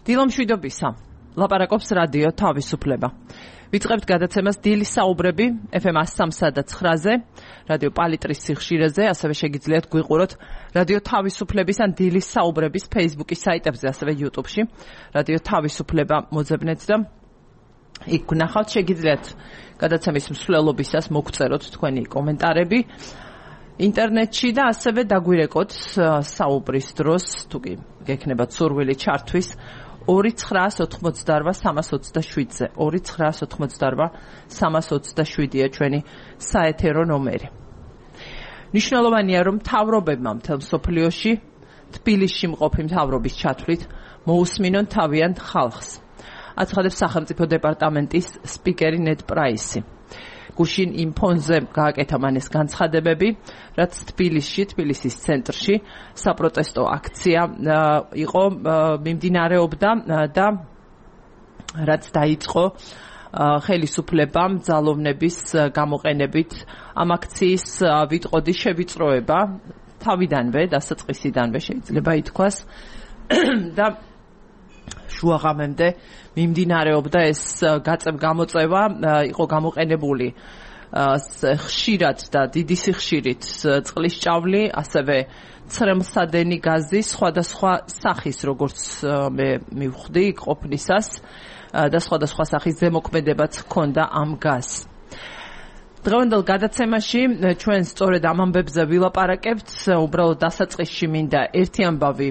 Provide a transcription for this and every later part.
დილომშვიდობისა. ლაპარაკობს რადიო თავისუფლება. ვიწყებთ გადაცემას დილის საუბრები FM 103.9-ზე, რადიო პალიტრის სიხშირეზე, ასევე შეგიძლიათ გვიყუროთ რადიო თავისუფლების ან დილის საუბრების Facebook-ის საიტებზე, ასევე YouTube-ში. რადიო თავისუფლება მოძებნეთ და იქ გნახავთ, შეგიძლიათ გადაცემის მსვლელობისას მოგწეროთ თქვენი კომენტარები ინტერნეტში და ასევე დაგვირეკოთ საუბრის დროს, თუ კი გექნებათ სურვილი ჩართვის 2988-327-ზე 2988-327-ია ჩვენი საეთერო ნომერი. ნიშნულოვანია, რომ მთავრობებმა მთელ მსოფლიოში თბილისში მყოფი მთავრობის ჩათვლით მოусმინონ თავიანთ ხალხს. აცხადებს სახელმწიფო დეპარტამენტის სპიკერი ნედ პრაისი. გუშინ იმ ფონზე გააკეთა მან ეს განცხადებები, რაც თბილისის ცენტრში საპროტესტო აქცია იყო მიმდინარეობდა და რაც დაიწყო ხელისუფლებამ ძალოვნების გამოყენებით ამ აქციის ვიტყოდი შევიწროება თავიდანვე, დასაწყისიდანვე შეიძლება ითქვას და შუაღამემდე მიმდინარეობდა ეს გაწევ-გამოწევა, იყო გამოყენებული ხშირად და დიდი სიხშირით წყლის ჭავლი, ასევე ცრემლსადენი გაზი, სხვადასხვა სახის, როგორც მე მივხვდი ყოფნისას და სხვადასხვა სახის ზემოქმედებაც ჰქონდა ამ გაზს. დღევანდელ გადაცემაში ჩვენ სწორედ ამ ამბებზე ვილაპარაკებთ, უბრალოდ დასაწყისში მინდა ერთი ამბავი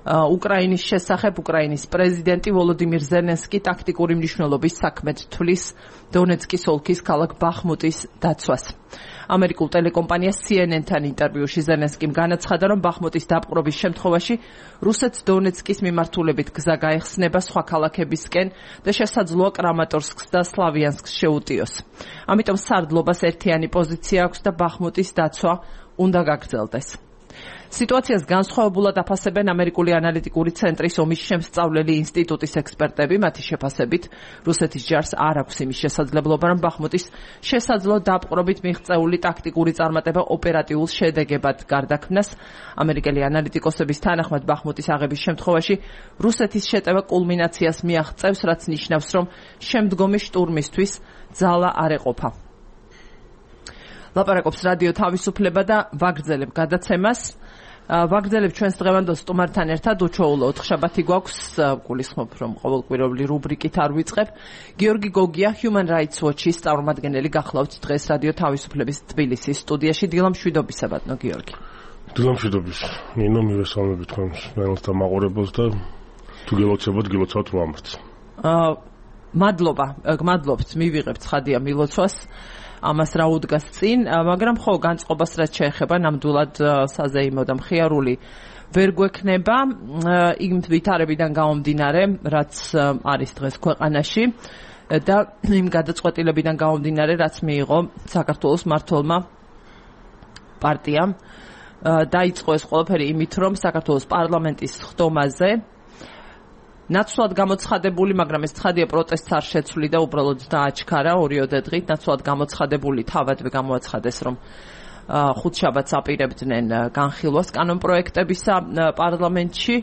უკრაინის შესახებ. უკრაინის პრეზიდენტი ვოლოდიმირ ზელენსკი ტაქტიკური მნიშვნელობის საქმედ თვლის დონეცკის ოლქის ქალაქ ბახმუტის დაცვას. ამერიკულ ტელეკომპანია CNN-თან ინტერვიუში ზელენსკიმ განაცხადა, რომ ბახმუტის დაპყრობის შემთხვევაში რუსეთს დონეცკის მიმართულებით გზა გაეხსნება სხვა ქალაქებისკენ და შესაძლოა კრამატორსკს და სლავიანსკს შეუტიოს. ამიტომ სარდლობას ერთიანი პოზიცია აქვს და ბახმუტის დაცვა უნდა გაგრძელდეს. სიტუაციას განსხვავებულად აფასებენ ამერიკული ანალიტიკური ცენტრის ომის შემსწავლელი ინსტიტუტის ექსპერტები. მათი შეფასებით, რუსეთის ჯარს არ აქვს იმის შესაძლებლობა, რომ ბახმუტის შესაძლო დაპყრობით მიღწეული ტაქტიკური წარმატება ოპერატიულ შედეგებად გარდაქმნას. ამერიკელი ანალიტიკოსების თანახმად, ბახმუტის აღების შემთხვევაში რუსეთის შეტევა კულმინაციას მიაღწევს, რაც ნიშნავს, რომ შემდგომი შტურმისთვის ძალა არ ეყოფა. ლაპარაკობს რადიო თავისუფლება და ვაგრძელებ გადაცემას. ვაგრძელებ ჩვენს დღევანდელ სტუმართან ერთად. უჩვეულო ოთხშაბათი გვაქვს, გულისხმობ, რომ ყოველკვირეული რუბრიკით არ ვიწყებ. გიორგი გოგია, Human Rights Watch-ის წარმომადგენელი, გახლავთ დღეს რადიო თავისუფლების თბილისის სტუდიაში. დილამშვიდობისა, ბატონო გიორგი. დილამშვიდობის. ნინო, მივესალმები თქვენს მელთა მაყურებელს და თუ გელოცებოთ, გილოცავთ მომართს. მადლობთ, მივიღებთ ცხადია მილოცვას. ამას რა უდგას წინ, მაგრამ ხო განწყობას რაც შეეხება ნამდვილად საზეიმო და მხიარული ვერ გვექნება იმ ვითარებიდან გამომდინარე, რაც არის დღეს ქვეყანაში და იმ გადაწყვეტილებიდან გამომდინარე, რაც მიიღო საქართველოს მმართველმა პარტიამ. დაიწყო ეს ყველაფერი იმით, რომ საქართველოს პარლამენტის ხდომაზე ნაცვლად გამოცხადებული, მაგრამ ეს ცხადია პროტესტს არ შეცვლი და უბრალოდ დააჩქარა 2 დღით. ნაცვლად გამოცხადებული თავადვე გამოაცხადეს, რომ ხუთშაბათს აპირებდნენ განხილვას კანონპროექტებისა პარლამენტში.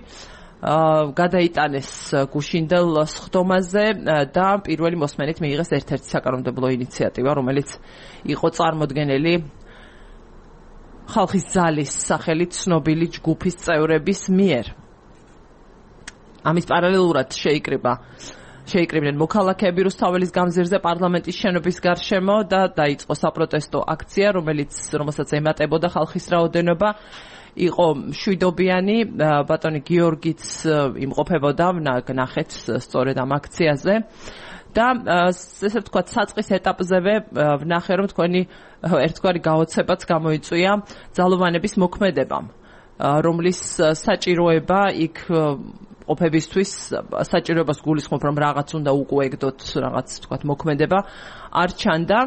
გადაიტანეს გუშინდელ ხდომაზე და პირველი მოსმენით მიიღეს ერთ-ერთი საკანონმდებლო ინიციატივა, რომელიც იყო წარმოდგენილი ხალხის ძალის სახელით ცნობილი ჯგუფის წევრების მიერ. ამის პარალელურად შეიკრიბნენ მოქალაქეები რუსთაველის გამზირზე პარლამენტის შენობის გარშემო და დაიწყო საპროტესტო აქცია, რომელსაც ემატებოდა ხალხის რაოდენობა. იყო მშვიდობიანი, ბატონი გიორგიც იმყოფებოდა, ნახეთ სწორედ ამ აქციაზე. და ესე ვთქვათ, საწყის ეტაპზევე ვნახე, რომ თქვენი ერთგვარი გაოცებაც გამოიწვია ძალოვანების მოქმედებამ, რომლის საჭიროება იქ ყოფებისთვის საჭიროებას გულისხმობ, რომ რაღაც უნდა უკუეგდოთ, რაღაც თქვათ მოქმედება არ ჩანდა.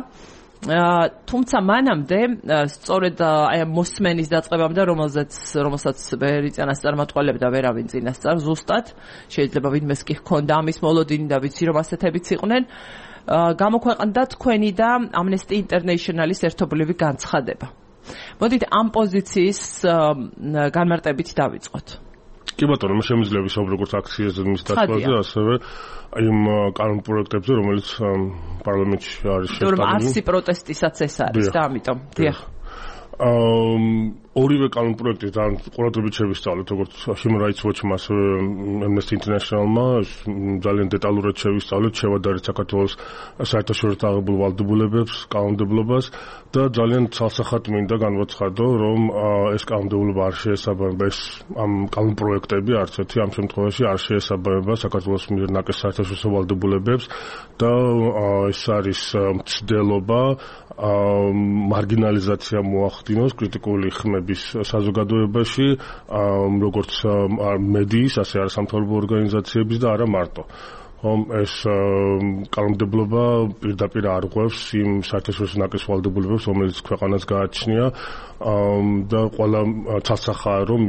თუმცა მანამდე სწორედ აი მოსმენის დაწყებამდე, რომელსაც ვერი წინასწარმეტყველებდა ვერავინ წინასწარ ზუსტად, შეიძლება ვინმეს კი ჰქონდა ამის მოლოდინი და ვიცი რომ ასეთებიც იყვნენ, გამოქვეყნდა თქვენი და Amnesty International-ის ერთობლივი განცხადება. მოდით ამ პოზიციის განმარტებით დავიწყოთ. კი ბატონო, შემიძლია ვისაუბროთ როგორც აქციაზე მის დაცვაზე, ასევე იმ კანონ პროექტებზე, რომელიც პარლამენტში არის შეშტაბილი. 100 პროტესტისაც ეს არის და ამიტომ დიახ. ორივე კანონ პროექტი ძალიან ყურადღებით შევისწავლეთ, როგორც Human Rights Watch-მა, ასევე Amnesty International-მა, ძალიან დეტალურად შევისწავლეთ, შევადარეთ საქართველოს საერთაშორისო აღებულ ვალდებულებებს, კანონმდებლობას და ძალიან ცალსახად მინდა განვაცხადო, რომ ეს კანონმდებლობა არ შეესაბამება ამ კანონ პროექტები, არც ერთი ამ შემთხვევაში არ შეესაბამება საქართველოს მიერ ნაკეს საერთაშორისო ვალდებულებებს და ეს არის მცდელობა მარგინალიზაცია მოახდინოს კრიტიკული ხმების საზოგადოებაში, როგორც მედიის, ასე არასამთავრობო ორგანიზაციების და არა მარტო. ეს კანონმდებლობა პირდაპირ არღვევს იმ საერთაშორისო ნაკის ვალდებულებებს, რომელიც ქვეყანას გააჩნია და ყველა ცალსახაა, რომ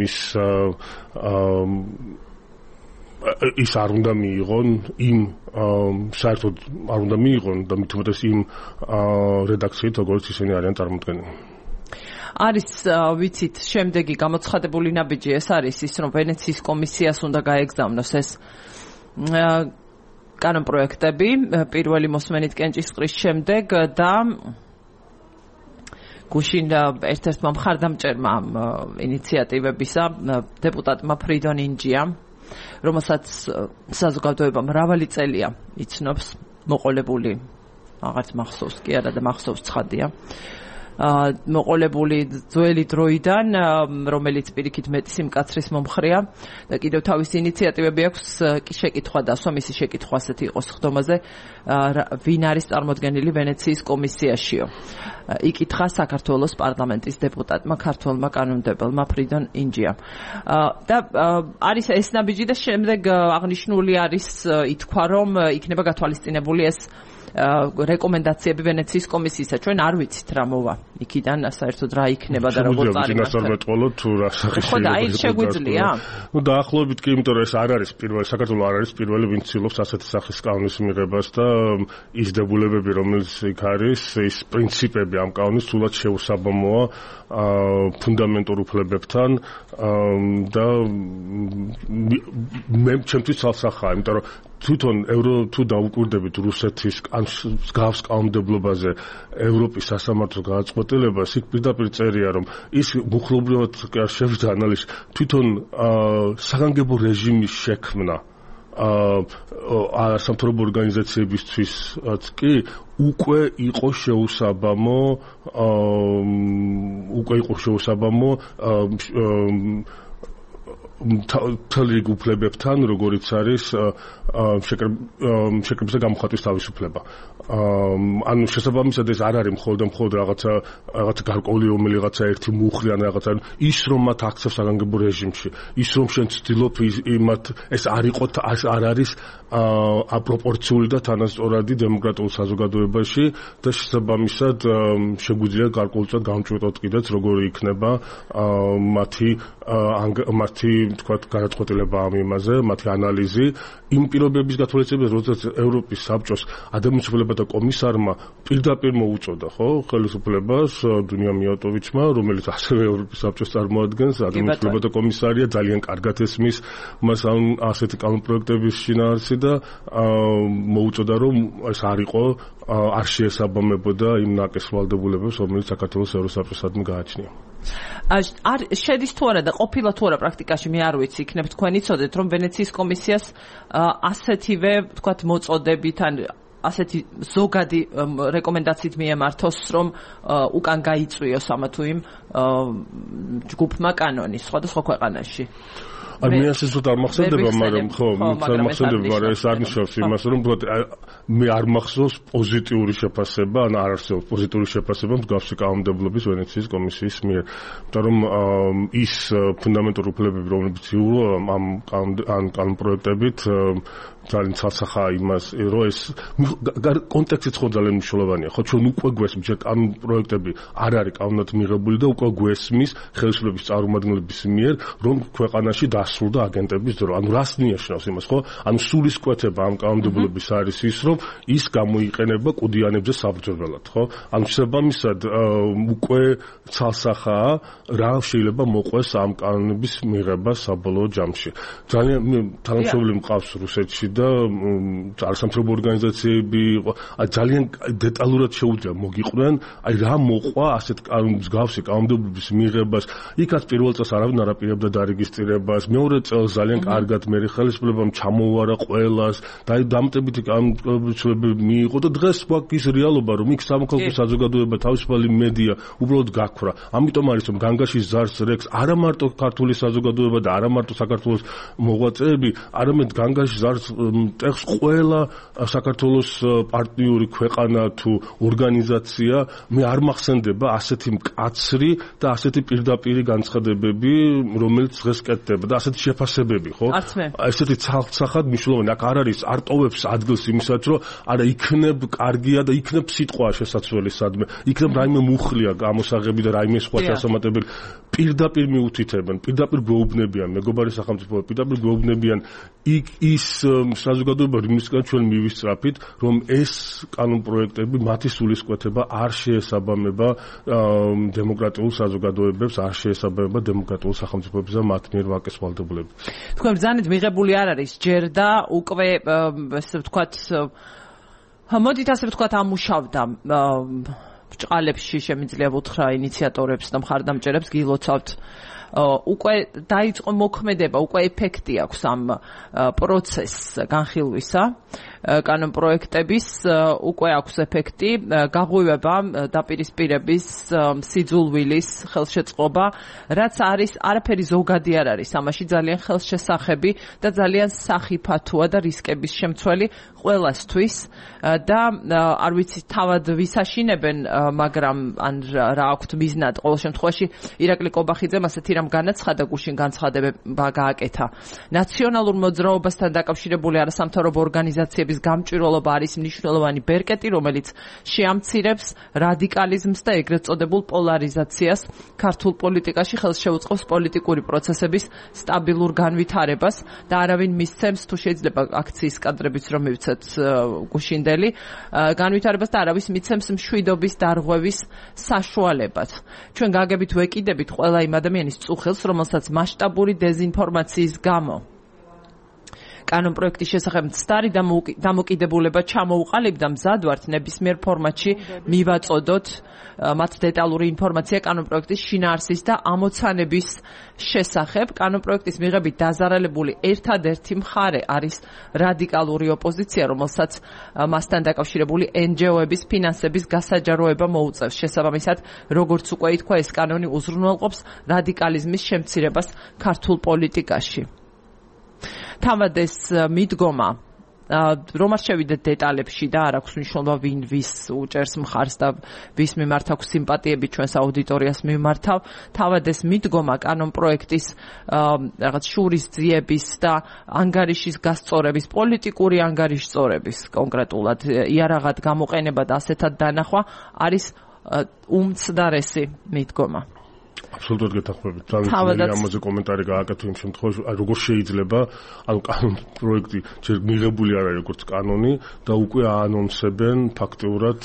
ის არ უნდა მიიღონ იმ საერთოდ არ უნდა მიიღონ და მით უმეტეს იმ რედაქციით, როგორც ისინი არიან წარმოდგენილი. არის ვიცით შემდეგი გამოცხადებული ნაბიჯი ეს არის ის, რომ ვენეციის კომისიას უნდა გაეგზავნოს ეს კანონ პროექტები პირველი მოსმენით კენჭისყრის შემდეგ და გუშინ ერთ-ერთმა მხარდამჭერმა ინიციატივებისა დეპუტატმა ფრიდონ ინჯიამ, რომელსაც საზოგადოება მრავალი წელია იცნობს, მოყოლებული აღარც მახსოვს კი არა და მახსოვს ცხადია. მოყოლებული ძველი დროიდან, რომელიც პირიქით მეტი სიმკაცრის მომხრეა და კიდევ თავისი ინიციატივები აქვს, შეკითხვა დასვა, მისი შეკითხვა ასეთი იყოს ხდომაზე, ვინ არის წარმოდგენილი ვენეციის კომისიაშიო. იკითხა საქართველოს პარლამენტის დეპუტატმა, ქართველმა კანონმდებელმა ფრიდონ ინჯიამ. და არის ეს ნაბიჯი და შემდეგ აღნიშნული არის ითქვა, რომ იქნება გათვალისწინებული ეს რეკომენდაციები ვენეციის კომისიისა. ჩვენ არ ვიცით რა მოვა იქიდან, საერთოდ რა იქნება და როგორ წარიმართება. ხო და აი შეგვიძლია? დაახლოებით კი, იმიტომ რომ ეს არ არის პირველი, საქართველოს არ არის პირველი, ვინც ცდილობს ასეთი სახის კანონის მიღებას და ის დებულებები, რომელიც იქ არის, ის პრინციპები ამ კანონის სულად შეუსაბამოა ფუნდამენტურ უფლებებთან და მე ჩემთვის ცალსახაა, იმიტომ რომ თვითონ თუ დაუკვირდებით რუსეთის მსგავს კანონმდებლობაზე ევროპის სასამართლო გადაწყვეტილებას, იქ პირდაპირ წერია, რომ ის მუხლობრივად არ შევიდა ანალიზი, თვითონ საგანგებო რეჟიმის შექმნა სამთავრობო ორგანიზაციებისთვისაც კი უკვე იყო შეუსაბამო მთელი რიგ უფლებებთან, როგორიც არის შეკრებისა გამოხატვის თავისუფლება. ანუ შესაბამისად ეს არ არის მხოლოდ რაღაცა გარკვეული რომელიღაცა ერთი მუხლი ან რაღაცა ის რომ მათ აქცევს საგანგებო რეჟიმში, ის რომ შენ ცდილობ იმათ ეს არ არის აპროპორციული და თანასწორადი დემოკრატიულ საზოგადოებაში და შესაბამისად შეგვიძლია გარკვეულწილად გამჭვირტოთ კიდეც როგორი იქნება მათი თქვათ გადაწყვეტილება ამ იმაზე, მათი ანალიზი იმ პირობების გათვალისწინებას, როდესაც ევროპის საბჭოს ადამიანის უფლებათა კომისარმა პირდაპირ მოუწოდა, ხო, ხელისუფლებას დუნია მიატოვიჩმა, რომელიც ასევე ევროპის საბჭოს წარმოადგენს, ადამიანის უფლებათა კომისარია, ძალიან კარგად ესმის მას ასეთი კანონპროექტების შინაარსი და მოუწოდა, რომ ეს არ შეესაბამებოდა იმ ნაკეს ვალდებულებებს, რომელიც საქართველოს ევროსაბჭოსადმი გააჩნია. შედის თუ არა და ყოფილა თუ არა პრაქტიკაში, მე არ ვიცი, იქნებ თქვენ იცოდეთ, რომ ვენეციის კომისიას ასეთივე, თქვათ, მოწოდებით ან ასეთი ზოგადი რეკომენდაციით მიემართოს, რომ უკან გაიწვიოს ამა თუ იმ ჯგუფმა კანონი სხვადასხვა ქვეყანაში. მე ასე ვთქვათ არ მახსენდება, მაგრამ ეს არ ნიშნავს იმას, რომ მე არ მახსოვს პოზიტიური შეფასება, ან არ არსებობს პოზიტიური შეფასება მსგავსი კანონმდებლობის ვენეციის კომისიის მიერ. იმიტომ რომ ის ფუნდამენტური უფლებები, რომლებიც იურო ამ კანონპროექტებით ძალიან ცალსახაა იმას, რომ ეს კონტექსტიც ხო ძალიან მნიშვნელოვანია. ხო, ჩვენ უკვე გვესმის, რომ კანონპროექტები არ არის კანონად მიღებული და უკვე გვესმის ხელისუფლების წარმომადგენლების მიერ, რომ ქვეყანაში დასრულდა აგენტების დრო. ანუ რას ნიშნავს იმას, ხო? ანუ სულისკვეთება ამ კანონმდებლობის არის ის, რომ ის გამოიყენება კუდიანებზე საბრძოლველად, ხო? ანუ შესაბამისად უკვე ცალსახაა რა შეიძლება მოყვეს ამ კანონების მიღება საბოლოო ჯამში. ძალიან თანამშრომლები მყავს რუსეთში და არასამთავრობო ორგანიზაციები ძალიან დეტალურად შეუძლია მოგიყვნენ, აი რა მოყვა ასეთ მსგავსი კანონმდებლობის მიღებას. იქაც პირველ წელს არავინ არ აპირებდა დარეგისტრირებას, მეორე წელს ძალიან კარგად მე ხელისუფლებამ ჩამოუვარა ყველას და აი დამტებითი კანონმდებლობები მიიღო და დღეს გვაქვს რეალობა, რომ იქ სამოქალაქო საზოგადოება, თავისუფალი მედია უბრალოდ გაქრა. ამიტომ არის რომ განგაში ზარს რეკს არა მარტო ქართული საზოგადოება და არა მარტო საქართველოს მოღვაწეები, არამედ განგაში ზარს ტეხს ყველა საქართველოს პარტნიორი ქვეყანა თუ ორგანიზაცია. მე არ მახსენდება ასეთი მკაცრი და ასეთი პირდაპირი განცხადებები, რომელიც დღეს კეთდება და ასეთი შეფასებები, ხო? ესეთი ცალსახად მნიშვნელოვანი. აქ არ არის არ ტოვებს ადგილს იმისაც, რომ არა იქნებ კარგია და იქნებ სიტყვა შესაძლებელი სადმე. იქნებ რაიმე მუხლია გამოსაღები და რაიმე სხვა ჩასამატებელი. პირდაპირ მიუთითებენ, პირდაპირ გვეუბნებიან, მეგობარი სახელმწიფო პირდაპირ გვეუბნებიან ის საზოგადოება, რომლისგან ჩვენ მივისწრაფით, რომ ეს კანონპროექტები მათი სულისკვეთება არ შეესაბამება დემოკრატიულ საზოგადოებებს, არ შეესაბამება დემოკრატიულ სახელმწიფოებს და მათ მიერ ვაკეს ვალდებულებას. თქვენ ბრძანეთ მიღებული არ არის ჯერ და უკვე ესე ვთქვათ მოდით ასე ვთქვათ ამუშავდა ბრჭყალებში შემიძლია ვუთხრა ინიციატორებს და მხარდამჭერებს გილოცავთ უკვე დაიწყო მოქმედება, უკვე ეფექტი აქვს ამ პროცესს განხილვისა კანონპროექტების, უკვე აქვს ეფექტი, გაღვივება დაპირისპირების, სიძულვილის ხელშეწყობა, რაც არის არაფერი ზოგადი არ არის, ამაში ძალიან ხელშესახები და ძალიან სახიფათოა და რისკების შემცველი ყველასთვის და არ ვიცი თავად ვისაშინებენ, მაგრამ ან რა აქვთ მიზნად, ყოველ შემთხვევაში ირაკლი კობახიძემ ასეთი რამ განაცხადა, გუშინ განცხადება გააკეთა. ნაციონალურ მოძრაობასთან დაკავშირებული არასამთავრობო ორგანიზაციების გამჭვირვალობა არის მნიშვნელოვანი ბერკეტი, რომელიც შეამცირებს რადიკალიზმს და ეგრეთ წოდებულ პოლარიზაციას ქართულ პოლიტიკაში, ხელს შეუწყობს პოლიტიკური პროცესების სტაბილურ განვითარებას და არავინ მისცემს თუ შეიძლება აქციის კადრებიც რომ მივცეთ გუშინდელი განვითარებას და არავის მიცემს მშვიდობის დარღვევის საშუალებად. ჩვენ გაგებით ვეკიდებით ყველა იმ ადამიანის წუხელს, რომელსაც მასშტაბური დეზინფორმაციის გამო კანონპროექტის შესახებ მცდარი დამოკიდებულება ჩამოუყალიბდა, მზად ვართ ნებისმიერ ფორმატში მივაწოდოთ მათ დეტალური ინფორმაცია კანონპროექტის შინაარსის და ამოცანების შესახებ. კანონპროექტის მიღებით დაზარალებული ერთადერთი მხარე არის რადიკალური ოპოზიცია, რომელსაც მასთან დაკავშირებული NGO-ების ფინანსების გასაჯაროება მოუწევს. შესაბამისად, როგორც უკვე ითქვა, ეს კანონი უზრუნველყოფს რადიკალიზმის შემცირებას ქართულ პოლიტიკაში. თავად ეს მიდგომა რომ არ შევიდეთ დეტალებში და არ აქვს მნიშვნელობა ვინ ვის უჭერს მხარს და ვის მიმართ აქვს სიმპათიები ჩვენს აუდიტორიას მიმართავ. თავად ეს მიდგომა კანონპროექტის რაღაც შურისძიების და ანგარიშის გასწორების, პოლიტიკური ანგარიშწორების კონკრეტულად იარაღად გამოყენება და ასეთად დანახვა არის უმცდარესი მიდგომა. აბსოლუტურად გეთანხმებით. ძალიან ამაზე კომენტარი გააკეთე იმ შემთხვევაში, როგორ შეიძლება, ანუ კანონპროექტი ჯერ მიღებული არ არის როგორც კანონი და უკვე აანონსებენ ფაქტიურად,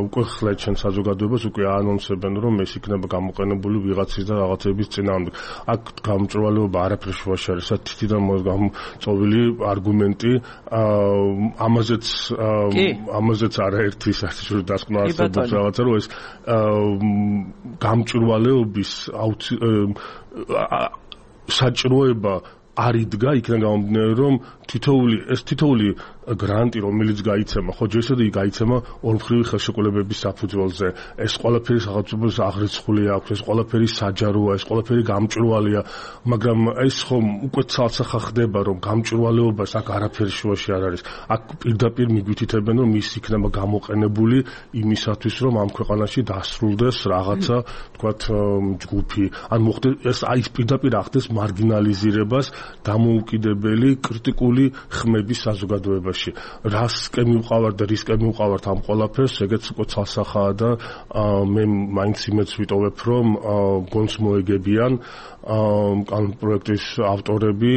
უკვე ხლეთ ჩვენ საზოგადოებას, უკვე აანონსებენ, რომ ეს იქნება გამოყენებული ვიღაცის და რაღაცების წინააღმდეგ. აქ გამჭვირვალეობა არაფერ შუაში არის, თითიდან გამოწოვილი არგუმენტი, ამაზეც არაერთი საერთაშორისო დასკვნა არსებობს რაღაცა, რომ ეს გამჭვირვალეობის საჭიროება არ იდგა, იქიდან გამომდინარე, რომ თითოეული გრანტი, რომელიც გაიცემა, ხო ჯერ ისევ გაიცემა ორმხრივი ხელშეკრულებების საფუძველზე. ეს ყველაფერი სახელმწიფოს აღრიცხული აქვს, ეს ყველაფერი საჯაროა, ეს ყველაფერი გამჭვირვალეა, მაგრამ ეს ხომ უკვე ცალსახა ხდება, რომ გამჭვირვალეობას აქ არაფერი შუაში არ არის. აქ პირდაპირ მიგვითითებენ, რომ ის იქნება გამოყენებული იმისათვის, რომ ამ ქვეყანაში დასრულდეს რაღაცა, თქვათ, ჯგუფი. ან მოხდეს ეს პირდაპირ ახდეს მარგინალიზირებას დამოუკიდებელი კრიტიკული ხმების საზოგადოებაში. შემთხვევაში რასკე მივყავართ და რისკე მივყავართ ამ ყველაფერს, ეგეც უკვე ცალსახაა და მე მაინც იმედს ვიტოვებ, რომ გონს მოეგებიან ამ პროექტის ავტორები,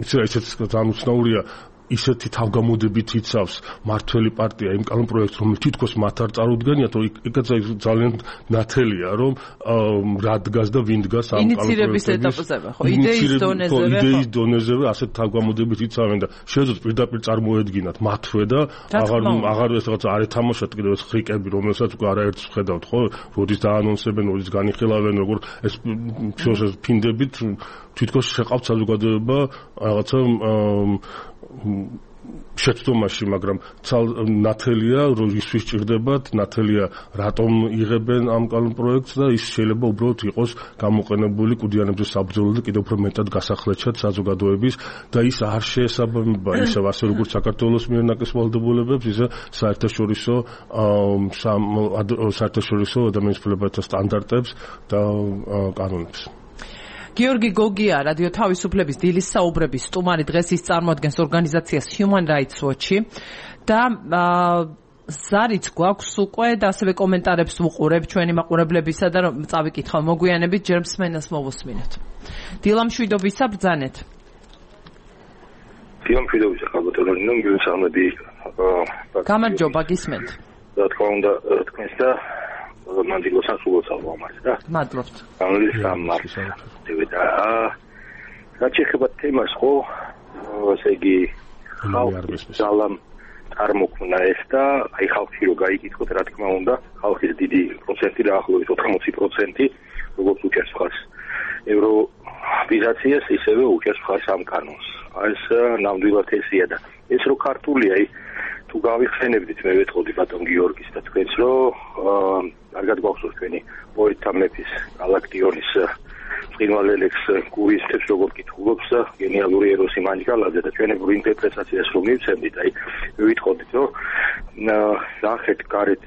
ისეც ძალიან უცნაურია ისეთი თავგამოდებით იცავს მართველი პარტია იმ კანონპროექტს, რომელიც თითქოს მათ არ წარუდგენიათ, რომ ეგეც ძალიან ნათელია, რომ რა დგას და ვინ დგას ამ ინიციირების ეტაპზევე, ხო, იდეის დონეზევე ასეთ თავგამოდებით იცავენ და შეეძლოთ პირდაპირ წარმოედგინათ მათვე და აღარ ეს რაღაცა არ ეთამაშოთ კიდევ ეს ხრიკები, რომელსაც უკვე არაერთს ვხედავთ, ხო, როდის დაანონსებენ, როდის განიხილავენ, როგორ ეს ფინდებით თვითონ შეყავთ საზოგადოება რაღაცა შეცდომაში, მაგრამ ნათელია, რომ ისვის ჭირდებათ, ნათელია რატომ იღებენ ამ კანონპროექტს და ის შეიძლება უბრალოდ იყოს გამოყენებული კუდიანებზე საბრძოლო და კიდევ უფრო მეტად გასახლეჩად საზოგადოების და ის არ შეესაბამება ისევ ასე როგორც საქართველოს მიერ ნაკლის ვალდებულებებს, ისე საერთაშორისო ადამიანის უფლებათა სტანდარტებს და კანონებს. გიორგი გოგია, რადიო თავისუფლების დილის საუბრების სტუმარი, დღეს ის წარმოადგენს ორგანიზაციას Human Rights Watch-ი და ზარიც გვაქვს უკვე და ასევე კომენტარებს ვუყურებ ჩვენი მაყურებლებისა და რომ წავიკითხავ მოგვიანებით, ჯერ მსმენელს მოვუსმინოთ. დილამშვიდობისა ბრძანეთ. დილამშვიდობისა ხალბატონო, მოგესალმები. გამარჯობა, გისმენთ. რა თქმა უნდა, თქვენს და მანდილოს ასულოს ალბომას და მადლობთ. გამლის სამარხს და რაც შეეხება თემას, ხო, ასე იგი ხალხის ძალამ წარმოქმნა ეს და აი ხალხი რო გაიკითხოთ, რა თქმა უნდა, ხალხის დიდი პროცენტი და ახლობით 80% როგორც უჭერს მხარს ევროვიზაციას, ისევე უჭერს მხარს ამ კანონს. ეს ნამდვილად ესია და ეს რო ქართული, აი თუ გავიხსენებდით, მე ვეთყოდი ბატონ გიორგის და თქვენს, რომ კარგად გვახსოვს თქვენი პოეტთა მეფის გალაქტიონის წინვალელექს გურიისებს როგორ კითხულობს გენიალური ეროსი მანჯგალაძე და ჩვენებურ ინტერპრეტაციას რომ მივცემდით, აი ვიტყოდით, რომ ნახეთ გარეთ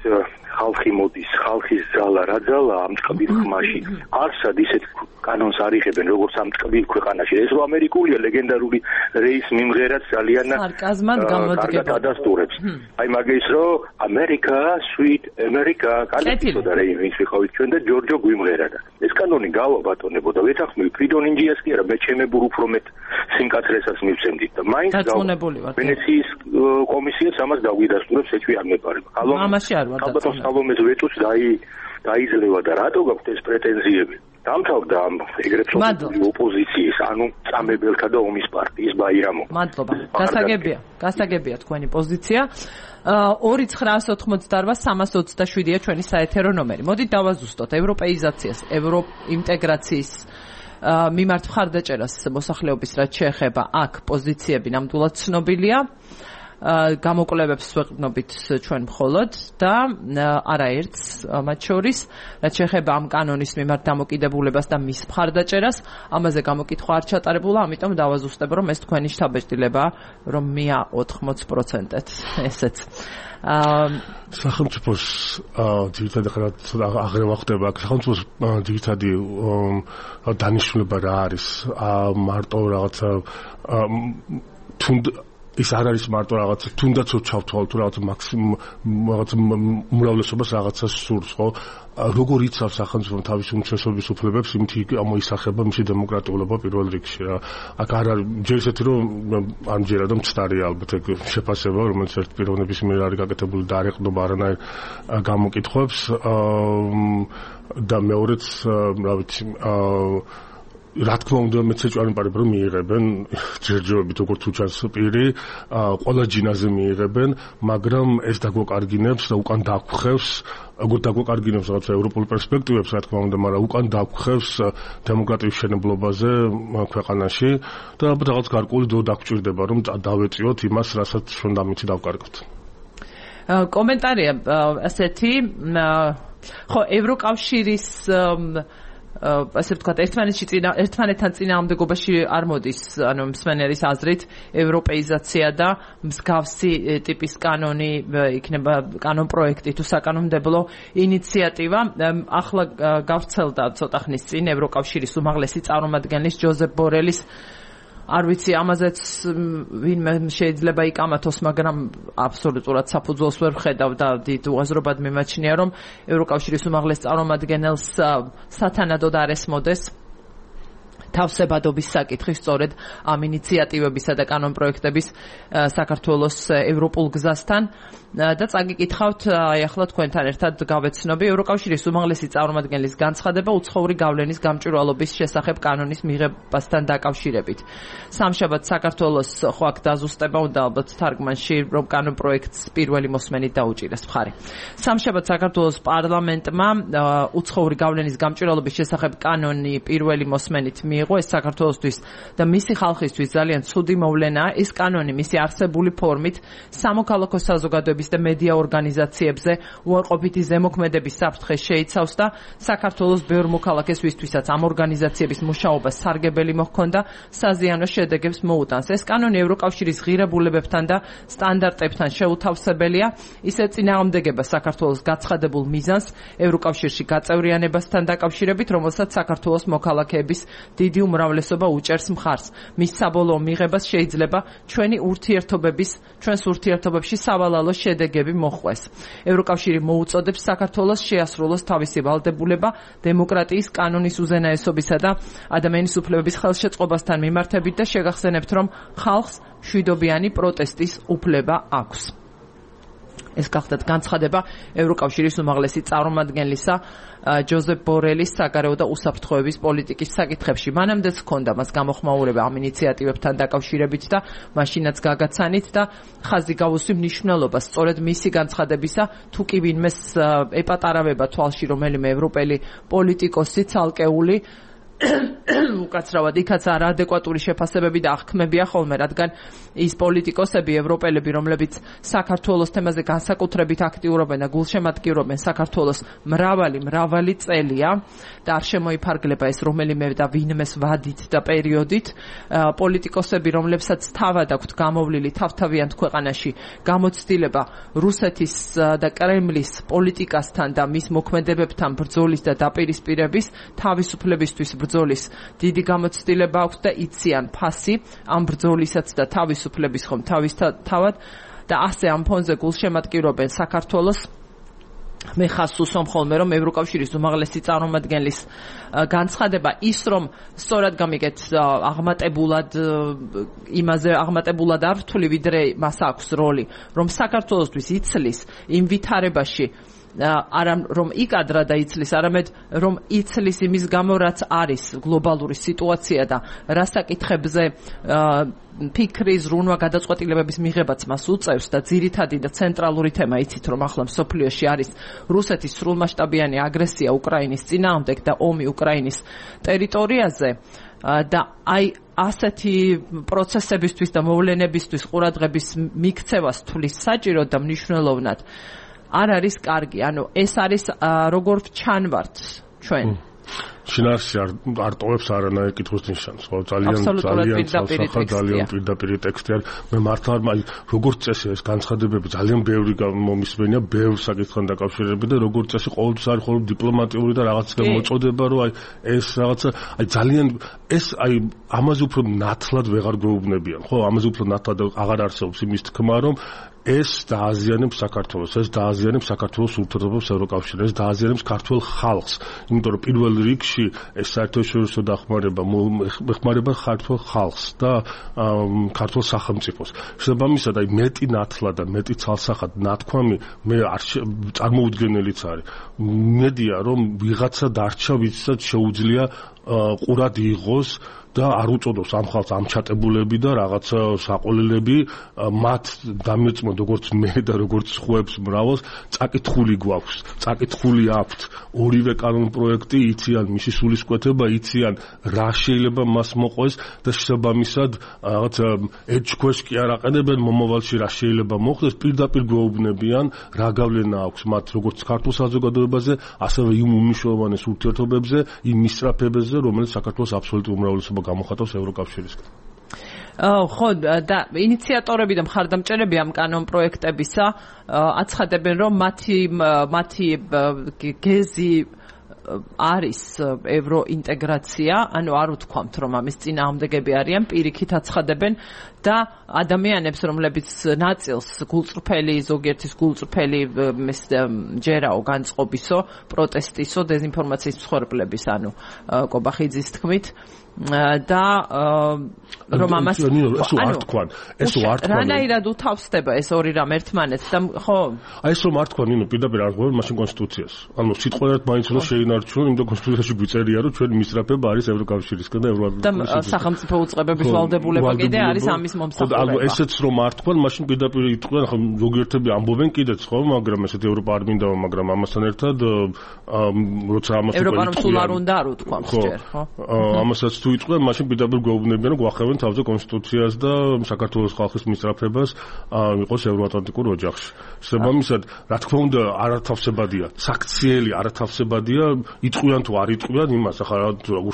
ხალხი მოდის, ხალხის ძალა, რა ძალა ამ ტკბილ ხმაში. არსად ისეთ კანონს არ იღებენ, როგორც ამ ტკბილ ქვეყანაში. ეს რო ამერიკულია ლეგენდარული რეის მიმღერაც ძალიან სარკაზმად გამოდგება. ადასტურებს. აი მაგის რომ ამერიკა, sweet America, კალიფორნია რეი ვინც ვიყავით ჩვენ და ჯორჯო გვიმღერა და ეს კანონი გავა ბატონებო და ვეთანხმები ფრიდონ ინჯიას კი არა, მე ჩემებურ უფრო მეტ სიმკაცრესაც მივცემდით და მაინც ვენეციის კომისიაც ამას დაგვიდასტურებს, ეჭვი არ მეპარება. ამაში არ ვარ დაწუნებული. სალომეს ვეტუს დაიძლევა და რატო გაქვთ ეს პრეტენზიები? დამთავრდა ამ ეგრეთ წოდებული ოპოზიციის, ანუ წამებელთა და ომის პარტიის ბაირამო. მადლობა. გასაგებია თქვენი პოზიცია. 2988-327-ია ჩვენი საეთერო ნომერი. მოდით დავაზუსტოთ ევროპეიზაციას, ევროინტეგრაციის მიმართ მხარდაჭერას მოსახლეობის რაც შეეხება აქ პოზიციები ნამდვილად ცნობილია. გამოკვლევებს ვეყრდნობით ჩვენ მხოლოდ და არაერთს მათ შორის, რაც შეეხება ამ კანონის მიმართ დამოკიდებულებას და მის მხარდაჭერას, ამაზე გამოკითხვა არ ჩატარებულა, ამიტომ დავაზუსტებ, რომ ეს თქვენი შთაბეჭდილება, რომ მია 80%-ეთ, ესეც. სახელმწიფოს ძირითადი ხართ აღრევა ხდება, სახელმწიფოს ძირითადი დანიშნულება რა არის? მარტო რაღაცა ის არ არის მარტო რაღაცა თუნდაც ჩავთვალოთ თუ რაღაცა რაღაცა უმრავლესობას რაღაცა სურს, ხო? როგორ იცავს სახელმწიფო თავისი უმცირესობის უფლებებს, იმით ამოისახება მისი დემოკრატიულობა პირველ რიგში რა. აქ არ არის ჯერ ისეთი რომ ამჯერად მცდარია ალბათ ეგ შეფასება, რომელიც ერთ პიროვნების მიერ არის გაკეთებული და არ ეყრდნობა არანაირ გამოკითხვებს და მეორეც რა ვიცი რა თქმა უნდა მეც ეჭვარი მყარებ რომ მიიღებენ ჯერჯერობით როგორც უჩანს პირი, ყველა ჯინაზე მიიღებენ, მაგრამ ეს დაგვაკარგინებს და უკან დაგხვევს, როგორც დაგვაკარგინებს რაღაცა ევროპულ პერსპექტივებს, რა თქმა უნდა, მაგრამ უკან დაგხვევს დემოკრატიის შენებლობაზე ქვეყანაში და ალბათ რაღაც გარკვეული დრო დაგჭირდება რომ დავეწიოთ იმას, რასაც შენ დამიცი დავკარგოთ. კომენტარია ასეთი, ხო, ევროკავშირის ასე ვთქვათ, ერთმანეთთან წინააღმდეგობაში არ მოდის, ანუ მსმენელის აზრით, ევროპეიზაცია და მსგავსი ტიპის კანონი იქნება კანონპროექტი თუ საკანონმდებლო ინიციატივა. ახლა გავრცელდა ცოტა ხნის წინ ევროკავშირის უმაღლესი წარმომადგენლის ჯოზეფ ბორელის არ ვიცი, ამაზეც ვინმე შეიძლება იკამათოს, მაგრამ აბსოლუტურად საფუძველს ვერ ვხედავ და დიდ უაზრობად მიმაჩნია, რომ ევროკავშირის უმაღლეს წარმომადგენელს სათანადოდ არ ესმოდეს თავსებადობის საკითხი სწორედ ამ ინიციატივებისა და კანონპროექტების საქართველოს ევროპულ გზასთან და წაგიკითხავთ აი ახლა თქვენთან ერთად გავეცნობი ევროკავშირის უმაღლესი წარმომადგენლის განცხადება უცხოური გავლენის გამჭვირვალობის შესახებ კანონის მიღებასთან დაკავშირებით. სამშაბათ საქართველოს ხო აქ დაზუსტება უნდა ალბათ თარგმანში რომ კანონპროექტს პირველი მოსმენით დაუჭირეს მხარი. სამშაბათ საქართველოს პარლამენტმა უცხოური გავლენის გამჭვირვალობის შესახებ კანონი პირველი მოსმენით მიიღო. ეს საქართველოსთვის და მისი ხალხისთვის ძალიან ცუდი მოვლენაა. ეს კანონი მისი არსებული ფორმით სამოქალაქო საზოგადოების და მედია ორგანიზაციებზე უარყოფითი ზემოქმედების საფრთხეს შეიცავს და საქართველოს ბევრ მოქალაქეს ვისთვისაც ამ ორგანიზაციების მუშაობას სარგებელი მოჰქონდა საზიანო შედეგებს მოუტანს. ეს კანონი ევროკავშირის ღირებულებებთან და სტანდარტებთან შეუთავსებელია. ისე წინააღმდეგება საქართველოს გაცხადებულ მიზანს ევროკავშირში გაწევრიანებასთან დაკავშირებით, რომელსაც საქართველოს მოქალაქეების დიდი უმრავლესობა უჭერს მხარს. მის საბოლოო მიღებას შეიძლება ჩვენს ურთიერთობებში სავალალო შედეგები მოხვეს. ევროკავშირი მოუწოდებს საქართველოს შეასრულოს თავისი ვალდებულება დემოკრატიის, კანონის უზენაესობისა და ადამიანის უფლებების ხელშეწყობასთან მიმართებით და შეგახსენებთ, რომ ხალხს მშვიდობიანი პროტესტის უფლება აქვს. ეს გახლდათ განცხადება ევროკავშირის უმაღლესი წარმომადგენლისა ჯოზეფ ბორელის საგარეო და უსაფრთხოების პოლიტიკის საკითხებში. მანამდეც ჰქონდა მას გამოხმაურება ამ ინიციატივებთან დაკავშირებით და მაშინაც გაგაცანით და ხაზი გავუსვი მნიშვნელობას სწორედ მისი განცხადებისა, თუ კი ვინმეს ეპატარავება თვალში რომელიმე ევროპელი პოლიტიკოსი ცალკეული უკაცრავად იქაც არაადეკვატური შეფასებები და აღქმებია ხოლმე, რადგან ის პოლიტიკოსები, ევროპელები, რომლებიც საქართველოს თემაზე განსაკუთრებით აქტიურობენ და გულშემატკივრობენ საქართველოს მრავალი წელია და არ შემოიფარგლება ეს რომელიმე და ვინმეს ვადით და პერიოდით, პოლიტიკოსები, რომლებსაც თავად აქვთ გამოვლილი თავთავიანთ ქვეყანაში გამოცდილება რუსეთის და კრემლის პოლიტიკასთან და მის მოქმედებებთან ბრძოლის და დაპირისპირების თავისუფლებისთვის ბრძოლის დიდი გამოცდილება აქვს და იციან ფასი ამ ბრძოლისაც და თავისუფლების ხომ თავისთავად და ასე ამ ფონზე გულშემატკივრობენ საქართველოს. მე ხას უსვამ ხოლმე რომ ევროკავშირის უმაღლესი წარმომადგენლის განცხადება ის რომ სწორად გამიგეთ აღმატებულად არ ვთვლი ვიდრე მას აქვს როლი რომ საქართველოსთვის იცლის იმ ვითარებაში არა რომ იკადრა და იცლის, არამედ რომ იცლის იმის გამო რაც არის გლობალური სიტუაცია და რა საკითხებზე ფიქრი, ზრუნვა, გადაწყვეტილებების მიღებაც მას უწევს და ძირითადი და ცენტრალური თემა იცით რომ ახლა მსოფლიოში არის რუსეთის სრულმასშტაბიანი აგრესია უკრაინის წინააღმდეგ და ომი უკრაინის ტერიტორიაზე და აი ასეთი პროცესებისთვის და მოვლენებისთვის ყურადღების მიქცევას თulis საჭირო და მნიშვნელოვნად არ არის კარგი, ანუ ეს არის როგორ ჩანვართ ჩვენ. შინაარსი არ ტოვებს არანაირ კითხვის ნიშანს, ხო? ძალიან პირდაპირ ტექსტი არის. მე მართლა როგორც წესი ეს განცხადებები ძალიან ბევრი მომისმენია, ბევრ საკითხთან დაკავშირებით და როგორც წესი ყოველთვის არის ხოლმე დიპლომატიური და რაღაც მოწოდება, რომ აი ეს რაღაცა ძალიან ეს ამაზე უფრო ნათლად ვეღარ გვეუბნებიან, ხო? ამაზე უფრო ნათლად აღარ არსებობს იმის თქმა, რომ ეს დააზიანებს საქართველოს, ეს დააზიანებს საქართველოს ურთიერთობებს ევროკავშირთან, ეს დააზიანებს ქართველ ხალხს, იმიტომ რომ პირველ რიგში ეს საერთაშორისო დახმარება ეხმარება ქართველ ხალხს და ქართულ სახელმწიფოს. შესაბამისად, მეტი ნათლად და მეტი ცალსახად ნათქვამი მე არ წარმოუდგენელიც არის. მედია რომ ვიღაცა დარჩა, ვისაც შეუძლია ყურად იღოს და არ უწოდოს ამ ხალხს ამჩატებულები და რაღაცა საყოველები მათ დამეწმოთ როგორც მე და როგორც სხვებს მრავალს წაკითხული გვაქვს, წაკითხული აქვთ ორივე კანონპროექტი, იციან მისი სულისკვეთება, იციან რა შეიძლება მას მოყვეს და შესაბამისად რაღაცა ეჭქვეშ კი არ აყენებენ მომავალში რა შეიძლება მოხდეს, პირდაპირ გვეუბნებიან რა გავლენა აქვს მათ როგორც ქართულ საზოგადოებაზე, ასევე იმ უმნიშვნელოვანეს ურთიერთობებზე, იმ მისწრაფებებზე, რომელიც საქართველოს აბსოლუტურ უმრავლესობას გამოხატავს ევროკავშირისგან. ხო, და ინიციატორები და მხარდამჭერები ამ კანონპროექტებისა აცხადებენ, რომ მათი გეზი არის ევროინტეგრაცია, ანუ არ ვთქვამთ, რომ ამის წინააღმდეგები არიან, პირიქით აცხადებენ და ადამიანებს, რომლებიც ნაწილს გულწრფელი, ზოგიერთის გულწრფელი ჯერაო, განწყობისო, პროტესტისო, დეзинფორმაციის მსხვერპლების, ანუ კობახიძის თქმით და რომ ამას ეს არ თქვან რანაირად უთავსდება ეს ორი რამ ერთმანეთს და ხო აი ეს რომ არ თქვან ნინო პირდაპირ არ ღვევენ მაშინ კონსტიტუციას ანუ სიტყვიერად მაინც რომ შეინარჩუნონ იმიტომ კონსტიტუციაში გვიწერია რომ ჩვენი მისწრაფება არის ევროკავშირისგან და და სახელმწიფო უწყებების ვალდებულება კიდე არის ამის მომსახურება ანუ ესეც რომ არ თქვან მაშინ პირდაპირ იტყვიან ხო ზოგიერთები ამბობენ კიდეც ხო მაგრამ ესეთ ევროპა არ მინდა მაგრამ ამასთან ერთად როცა ამას ევროპამ სულ არ უნდა არ უთქვამს ჯერ ხო ამასაც თუ იტყვიან მაშინ პირდაპირ გვეუბნებიან რომ გვახევენ თავზე კონსტიტუციას და საქართველოს ხალხის მისწრაფებას იყოს ევროატლანტიკურ ოჯახში. შესაბამისად, რა თქმა უნდა, არათავსებადია, საქციელი არათავსებადია, იტყვიან თუ არ იტყვიან იმას, ახლა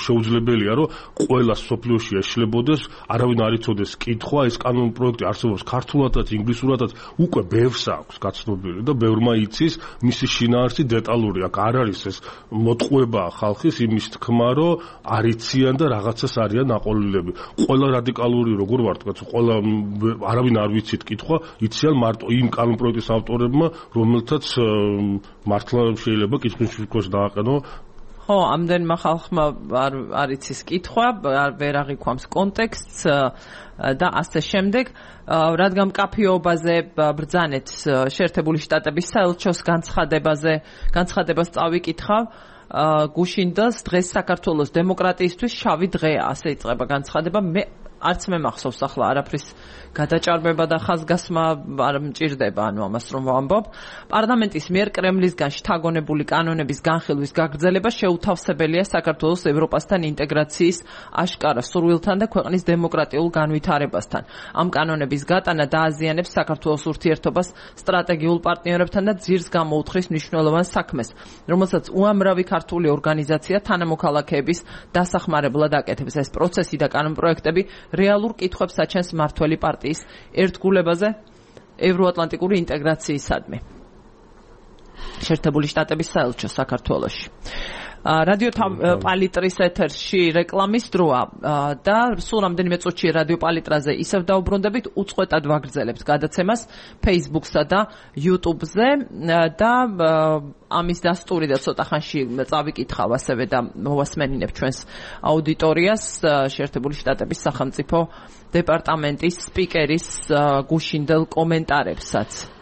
შეუძლებელია, რომ ყველა სოფლიოში ეშლებოდეს, არავინ არ იცოდეს კითხვა, ეს კანონ პროექტი არსებობს ქართულადაც, ინგლისურადაც, უკვე ბევრს აქვს გაცნობილი და ბევრმა იცის მისი შინაარსი დეტალური, აქ არ არის ეს მოტყუება ხალხის იმის თქმა, რომ არ იციან და რაღაცას არიან აყოლილები. ყველა რადიკალური როგორ ვარ თქვა, ყველა არავინ არ ვიცით კითხვა, იციან მარტო იმ კანონ პროექტის ავტორებმა, რომელთაც მართლა შეიძლება კითხვის შუქოს დააყენო. ხო, ამდენმა ხალხმა არ იცის კითხვა, ვერ აღიქვამს კონტექსტს და ასე შემდეგ. რადგან მკაფიობაზე ბრძანეთ შეერთებული შტატების საელჩოს განცხადებას წავიკითხავ. გუშინდელს დღეს საქართველოს დემოკრატიისთვის შავი დღეა, ასე იწყება განცხადება. არც მე მახსოვს ახლა არაფრის გადაჭარბება და ხაზგასმა არ მჭირდება, ანუ ამას რომ ვამბობ. პარლამენტის მიერ კრემლისგან შთაგონებული კანონების განხილვის გაგრძელება შეუთავსებელია საქართველოს ევროპასთან ინტეგრაციის აშკარა სურვილთან და ქვეყნის დემოკრატიულ განვითარებასთან. ამ კანონების გატანა დააზიანებს საქართველოს ურთიერთობას სტრატეგიულ პარტნიორებთან და ძირს გამოუთხრის მნიშვნელოვან საქმეს, რომელსაც უამრავი ქართული ორგანიზაცია თანამოქალაქეების დასახმარებლად აკეთებს. ეს პროცესი და კანონპროექტები რეალურ კითხვებს აჩენს მმართველი პარტიის ერთგულებაზე ევროატლანტიკური ინტეგრაციისადმი. შეერთებული შტატების საელჩო საქართველოში. რადიო პალიტრის ეთერში რეკლამის დროა და სულ რამდენიმე წუთში რადიო პალიტრაზე ისევ დაუბრუნდებით, უწყვეტად ვაგრძელებთ გადაცემას Facebook-სა და YouTube-ზე და ამის დასტური და ცოტა ხანში წავიკითხავ ასევე და მოვასმენინებ ჩვენს აუდიტორიას შეერთებული შტატების სახელმწიფო დეპარტამენტის სპიკერის გუშინდელ კომენტარებსაც.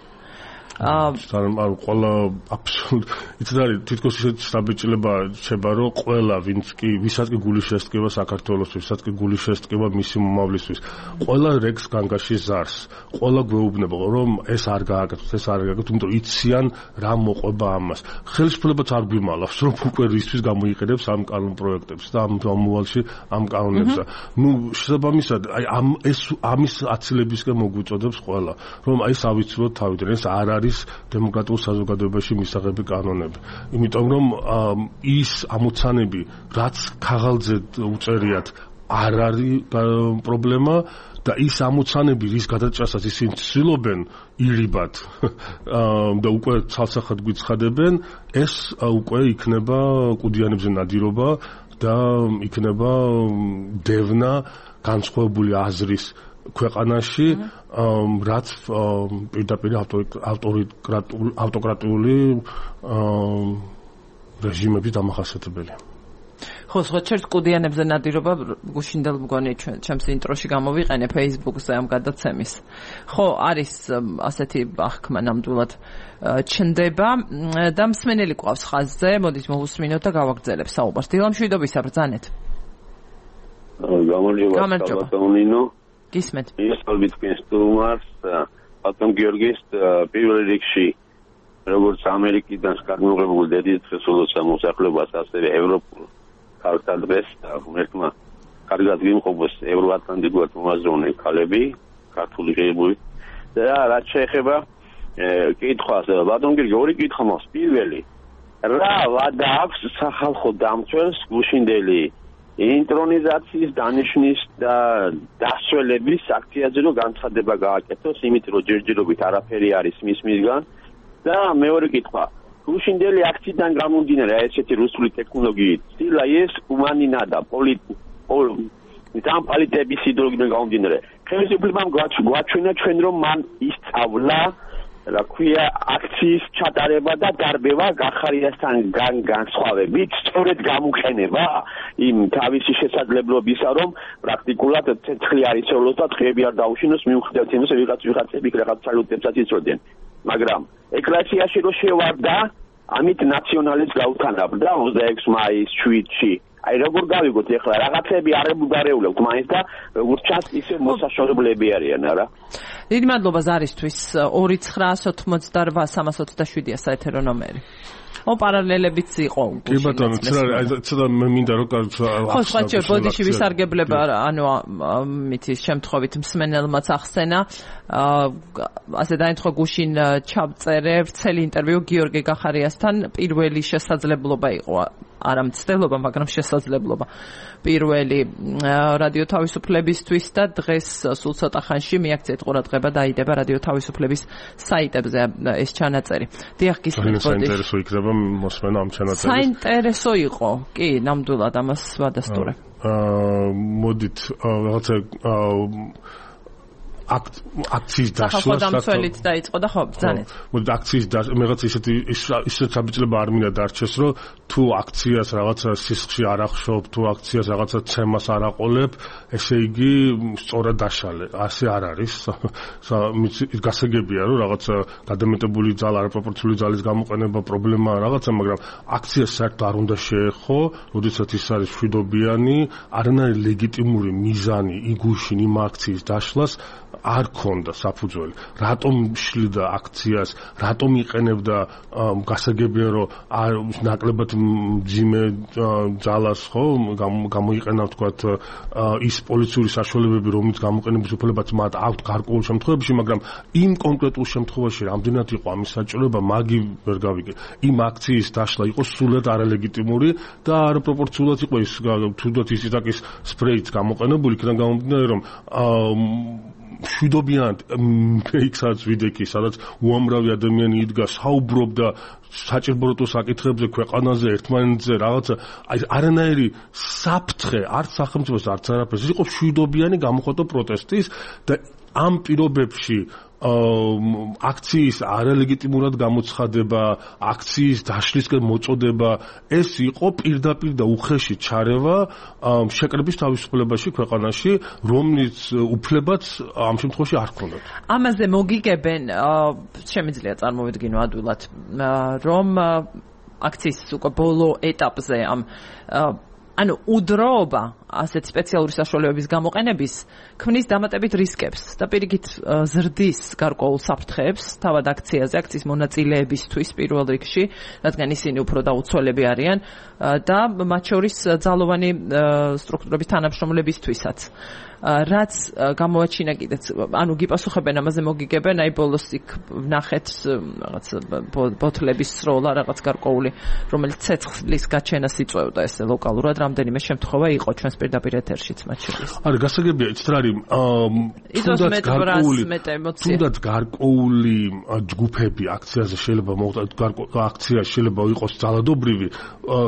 ანუ ყველა აბსოლუტ იცით არის თითქოს ისეთ საბეჭდილება შეება რომ ყველა ვისაც კი გულის შესტკივა საქართველოს ვისაც კი გულის შესტკივა მისი მომავლისთვის ყველა რეგს განგაში ზარს ყველა გვეუბნება რომ ეს არ გააკეთოს ეს არ გააკეთოს იმიტომ იციან რა მოყვება ამას ხელისუფლებაც არ გვიმალავს რომ უკვე რისთვის გამოიყენებს ამ კანონ პროექტებს და ამ მომავალში ამ კანონებს ნუ შესაბამისად აი ამის აცილებისკენ მოგვიწოდებს ყველა რომ აი ავიცილოთ თავიდან ეს არ არის დემოკრატიულ საზოგადოებაში მისაღები კანონები. იმიტომ რომ ის ამოცანები, რაც ქაღალდზე უწერიათ, არ არის პრობლემა და ის ამოცანები, რის გადაჭრასაც ისინი ცდილობენ ირიბად და უკვე ცალსახად გვიცხადებენ, ეს უკვე იქნება კუდიანებზე ნადირობა და იქნება დევნა განსხვავებული აზრის ქვეყანაში რაც პირდაპირ ავტოკრატიული რეჟიმების დამახასიათებელია. ხო, სწორედ კუდიანებზე ნადირობა გუშინდელ მგონი ჩემს ინტროში გამოვიყენე Facebook-ზე ამ გადაცემის. ხო, არის ასეთი აღქმა ნამდვილად ჩნდება და მსმენელი ყავს ხაზზე, მოდით მოვუსმინოთ და გავაგრძელებ საუბარს. დილამშვიდობისა ბრძანეთ. გამარჯობა. გისმენთ. მისალმით თქვენს სტუმარს, ბატონ გიორგის პირველ რიგში, როგორც ამერიკიდან განმეორებული დედის დღესულოცა მოსახლეობას, ასევე ევროპულ ქალთა დღეს და ღმერთმა კარგად გიმყოფოს ევროატლანტიკურად მომაზროვნე ქალები, ქართული ღირებულებით და რაც შეეხება კითხვას, ბატონ გიორგი, ორი კითხვა მაქვს. პირველი, რა ვადა აქვს სახალხო დამცველს გუშინდელი ინტრონიზაციის დანიშვნის და დასველების აქციაზე რომ განცხადება გააკეთოს, იმით რომ ჯერჯერობით არაფერი არის მისგან და მეორე კითხვა გუშინდელი აქციიდან გამომდინარე ესეთი რუსული ტექნოლოგიით ცილა ეს უმანინა და პოლიტების იდეოლოგიიდან გამომდინარე ხელისუფლებამ გვაჩვენა ჩვენ რომ მან ისწავლა რა ქვია აქციის ჩატარება და დარბევა გახარიასთან განსხვავებით სწორედ გამოყენება იმ თავისი შესაძლებლობისა რომ პრაქტიკულად ცეცხლი არ იცოვლოს და დღეები არ დაუშინოს მიუხედავად იმისა ვიღაცები რაღაც სალუტებსაც იცოდნენ მაგრამ ეკლესიაში რო შევარდა ამით ნაციონალიზმს გაუთანაბდა 26 მაის შვიდში აი როგორ გავიგოთ ახლა რაღაცები არ ებუგარეულებთ მაინც და როგორც ჩანს ისე მოსაშორებლები არიან არა დიდი მადლობა ზარისთვის 2988-327-ია საეთერო ნომერი პარალელებიც იყო კი ბატონო ცოტა მე მინდა რომ ხო სხვა ბოდიში ვისარგებლება ანუ მითის შემთხვევით მსმენელმაც ახსენა ასე დაინთხო გუშინ ჩავწერე ვრცელი ინტერვიუ გიორგი გახარიასთან პირველი შესაძლებლობა იყო არა მცდელობა, მაგრამ შესაძლებლობა პირველი რადიო თავისუფლებისთვის და დღეს სულ ცოტა ხანში მიაქციეთ ყურადღება დაიდება რადიო თავისუფლების საიტებზე ეს ჩანაწერი. დიახ, გისმენთ ბოდიში. საინტერესო იქნება მოსმენა ამ ჩანაწერის. საინტერესო იყო. კი, ნამდვილად ამას ვადასტურე. მოდით რაღაცა აქციის დაშლა დამცველით დაიწყო და ხო ბრძანეთ. მოდი აქციის რაღაც ისეთ საბჭოება არ მინდა დარჩეს რომ თუ აქციას რაღაცა სისხლში არ ახშობ, თუ აქციას რაღაცა ცემას არ აყოლებ, ესე იგი სწორად დაშალე. ასე არ არის. გასაგებია რომ რაღაცა გადამეტებული ძალა, არაპროპორციული ძალის გამოყენება პრობლემაა რაღაცა, მაგრამ აქციას საერთოდ არ უნდა შეეხო, როდესაც ის არის მშვიდობიანი, არანაირი ლეგიტიმური მიზანი იგუშინ იმ აქციის დაშლას არ ქონდა საფუძველი. რატომ შლიდა აქციას, რატომ იყენებდა გასაგებია რომ ნაკლებად მძიმე ძალას ხო გამოიყენა ვთქვათ ის პოლიციური საშუალებები რომლის გამოყენების უფლებაც მათ აქვთ გარკვეულ შემთხვევებში, მაგრამ იმ კონკრეტულ შემთხვევაში რამდენად იყო ამის საჭიროება, მაგი ვერ გავიგე. იმ აქციის დაშლა იყო სულად არალეგიტიმური და არაპროპორციულად იყო ის თუნდაც ის იტაკის სპრეიც გამოყენებული, იქიდან გამომდინარე რომ მშვიდობიან ფეიქსაც ვიდექი, სადაც უამრავი ადამიანი იდგა, საუბრობდა საჭიროებო საკითხებზე, ქვეყანაზე, ერთმანეთზე, რაღაცა, აი არანაირი საფრთხე, არც სახელმწიფოს, არც არაფერს. ის იყო მშვიდობიანი გამოხატვა პროტესტის და ამ პირობებში აქციის არალეგიტიმურად გამოცხადება, აქციის დაშლისკენ მოწოდება, ეს იყო პირდაპირ და უხეში ჩარევა შეკრების თავისუფლებაში ქვეყანაში, რომლის უფლებაც ამ შემთხვევაში არ ჰქონდათ. ამაზე მოგიგებენ, შემიძლია წარმოვიდგინო ადვილად, რომ აქციის უკვე ბოლო ეტაპზე ამ ანუ udroba ასეთ სპეციალური საშუალებების გამოყენების ქმნის დამატებით რისკებს და პირიქით ზრდის გარკვეულ საფრთხეებს თავად აქციაზე, აქციის მონაწილეებისთვის პირველ რიგში, რადგან ისინი უფრო დაუცველები არიან და მათ შორის ძალოვანი სტრუქტურების თანამშრომლებისთვისაც. რაც გამოაჩინა კიდეც, ანუ გიპასუხებენ ამაზე მოგიგებენ, აი ბოლოს იქ ვნახეთ რაღაც ბოთლების სროლა, რაღაც გარკვეული, რომელიც ცეცხლის გაჩენას იწვევდა ესე ლოკალურად, რამდენიმე შემთხვევა იყო ჩვენს პირდაპირ ეთერშიც მათ შორის. არა, გასაგებია, იცით რა არის, თუნდაც გარკვეული ჯგუფები აქციაზე შეიძლება აქცია შეიძლება იყოს ძალადობრივი,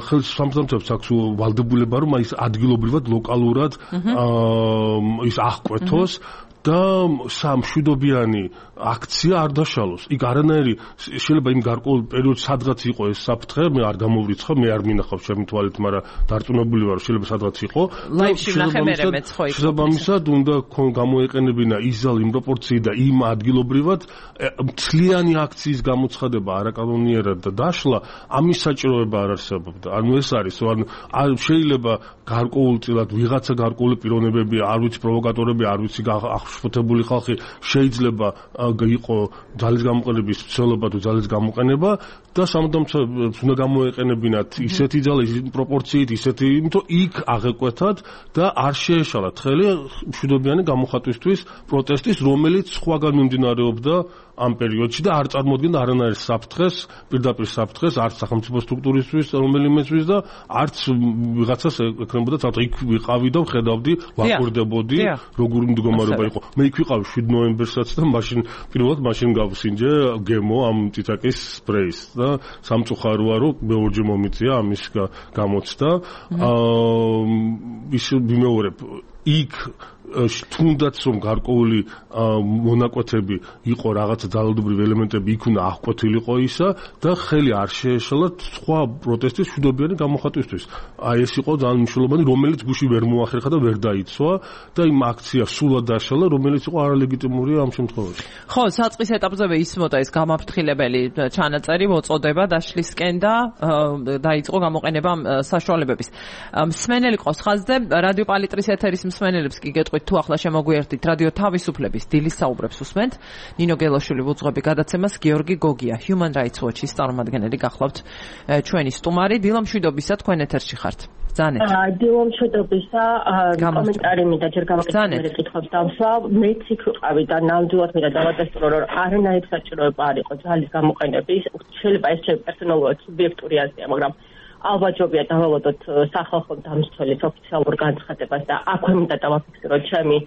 ხელისუფლებამ აქვს ვალდებულება, რომ ის ადგილობრივად, ლოკალურად ის აღკვეთოს და სამშვიდობიანი აქცია არ დაშალოს. იქ არანაირი შეიძლება იმ გარკვეულ პერიოდში სადღაც იყო ეს საფრთხე, მე არ გამოვრიცხავ, მე არ მინახავ ჩემი თვალით, მაგრამ დარწმუნებული ვარ, შეიძლება სადღაც იყო. ლაივში ვნახე მეც ხო იქ. შესაბამისად უნდა გამოეყენებინა ის ზალი იმ პროპორციით და იმ ადგილობრივად მთლიანი აქციის გამოცხადება არაკანონიერად და დაშლა, ამის საჭიროება არ არსებობდა. ანუ ეს არის, ანუ შეიძლება გარკვეულწილად ვიღაცა გარკვეული პიროვნებები, არ ვიცი პროვოკატორები, არ ვიცი აღშფოთებული ხალხი შეიძლება იყო ძალის გამოყენების ცდილობა თუ ძალის გამოყენება და სამუდამოდ უნდა გამოეყენებინათ ისეთი ძალა, ისეთი პროპორციით, ისეთი, იმიტომ იქ აღეკვეთათ და არ შეეშალათ ხელი მშვიდობიანი გამოხატვისთვის პროტესტის, რომელიც სხვაგან მიმდინარეობდა ამ პერიოდში და არ წარმოადგენდა არანაირ საფრთხეს, პირდაპირ საფრთხეს, არც სახელმწიფო სტრუქტურისთვის, რომელიმეცვის და არც ვიღაცას ეკრებოდა თავს. იქ ვიყავი და ვხედავდი, ვაკვირდებოდი, როგორი მდგომარეობა იყო. მე იქ ვიყავი 7 ნოემბერსაც და მაშინ პირველად გავსინჯე გემო ამ ტიტაკის სპრეის და და სამწუხაროა რომ მეორჯერ მომიწია ამის გამოცდა. ის ვიმეორებ იქ თუნდაც რომ გარკვეული მონაკვეთები იყო რაღაცა ძალადობრივი ელემენტები იქ უნდა აღკვეთილიყო ისა და ხელი არ შეეშალა სხვა პროტესტის მშვიდობიანი გამოხატვისთვის. აი ეს იყო ძალიან მნიშვნელოვანი, რომელიც გუში ვერ მოახერხა და ვერ დაიცვა და იმ აქციას სულად დაშალა, რომელიც იყო არალეგიტიმურია ამ შემთხვევაში. ხო, საწყის ეტაპზევე ისმოდა ეს გამაფრთხილებელი ჩანაწერი მოწოდება დაშლისკენ და დაიწყო გამოყენება საშუალებების. მსმენელი ყავს ხაზზე, რადიო პალიტრის ეთერის მსმენელებს კი გეტყვით თუ ახლა შემოგვიერთდით რადიო თავისუფლების დილის საუბრებს უსმენთ. ნინო გელოშვილი ვუძღვები გადაცემას, გიორგი გოგია Human Rights Watch-ის წარმომადგენელი გახლავთ ჩვენი სტუმარი. დილამშვიდობისა, თქვენ ეთერში ხართ. ბრძანეთ. დილამშვიდობისა, კომენტარი მინდა ჯერ გამაკეთებელი კითხვებს დავსვა. მეც იქ ვიყავი და ნამდვილად მინდა დავადასტურო, რომ არანაირი საჭიროება არ იყო ძალის გამოყენების. შეიძლება ეს ჩემი პერსონალურად სუბიექტური აზრია, მაგრამ ალბათ ჯობია დავალოდოთ სახალხო დამცველის ოფიციალურ განცხადებას და აქვე მინდა დავაფიქსიროთ ჩემი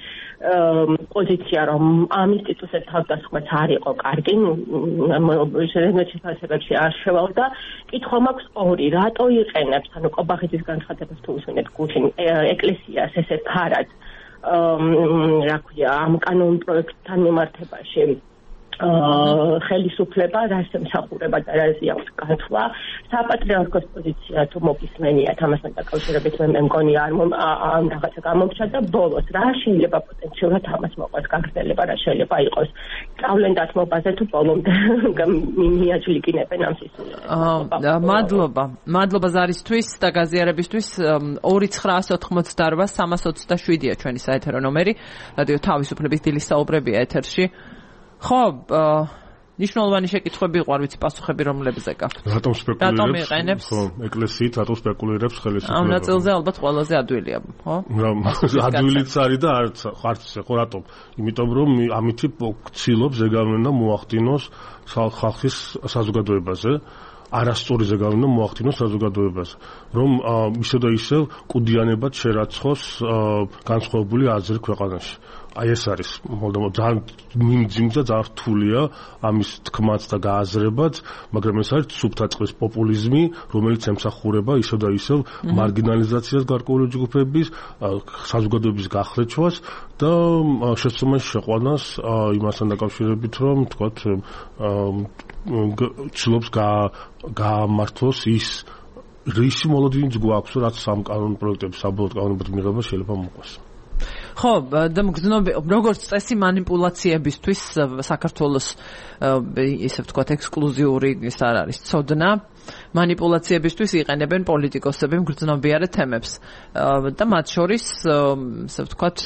პოზიცია, რომ ამ ინსტიტუტზე თავდასხმაც არ იყო კარგი, შემოჩეფასებებში არ შევალ და კითხვა მაქვს ორი, რატო იყენებს, ანუ ყობახიძის განცხადებას თუ უსვენეთ გუშინ ეკლესიას ესე ფარად, რა ქვია, ამ კანონ პროექტთან მიმართებაში ხელისუფლება, რას ემსახურება და რას აქვს გათვლა. საპატრიარქოს პოზიცია თუ მოგისმენიათ ამასთან დაკავშირებით მე მგონი არ რაღაცა გამომჩა და ბოლოს რა შეიძლება პოტენციურად ამას მოყვას გაგრძელება, რა შეიძლება იყოს სწავლენ დათმობაზე თუ ბოლომდე მიაჯლიკინებენ ამ სისულელს. მადლობა ზარისთვის და გაზიარებისთვის. 2988 327-ია ჩვენი საეთერო ნომერი. რადიო თავისუფლების დილის საუბრებია ეთერში. ხო, ნიშნულოვანი შეკითხვები იყო, არ ვიცი პასუხები რომლებზე გაქვთ. რატომ სპეკულირებს? ხო, ეკლესიით რატომ სპეკულირებს ხელისუფლება? ამ ნაწილზე ალბათ ყველაზე ადვილია, ხო? ადვილიც არის და არც ხო რატომ? იმიტომ რომ ამითი ცდილობს ზეგავლენა მოახდინოს ხალხის საზოგადოებაზე. არასწორი ზეგავლენა მოახდინოს საზოგადოებაზე, რომ ისე და ისე კუდიანებად შერაცხოს განსხვავებული აზრი ქვეყანაში. აი ეს არის ძალიან მიმძიმს და ძალიან რთულია ამის თქმაც და გააზრებაც, მაგრამ ეს არის სუბტაწყლის პოპულიზმი, რომელიც ემსახურება ისევ და ისევ მარგინალიზაციას გარკვეული ჯგუფების, საზოგადოების გახლეჩვას და შეცდომას შეყვანას იმასთან დაკავშირებით, რომ თქვათ ცდილობს გაამართლოს ის რისი მოლოდინიც გვაქვს, რაც სამ კანონ პროექტების საბოლოო კანონებად მიღება შეიძლება მოყვას. ხო, და მგრძნობი, როგორც წესი მანიპულაციებისთვის საქართველოს ისე ვთქვათ ექსკლუზიური ის არ არის ცოდნა. მანიპულაციებისთვის იყენებენ პოლიტიკოსები მგრძნობიარე თემებს და მათ შორის ისე ვთქვათ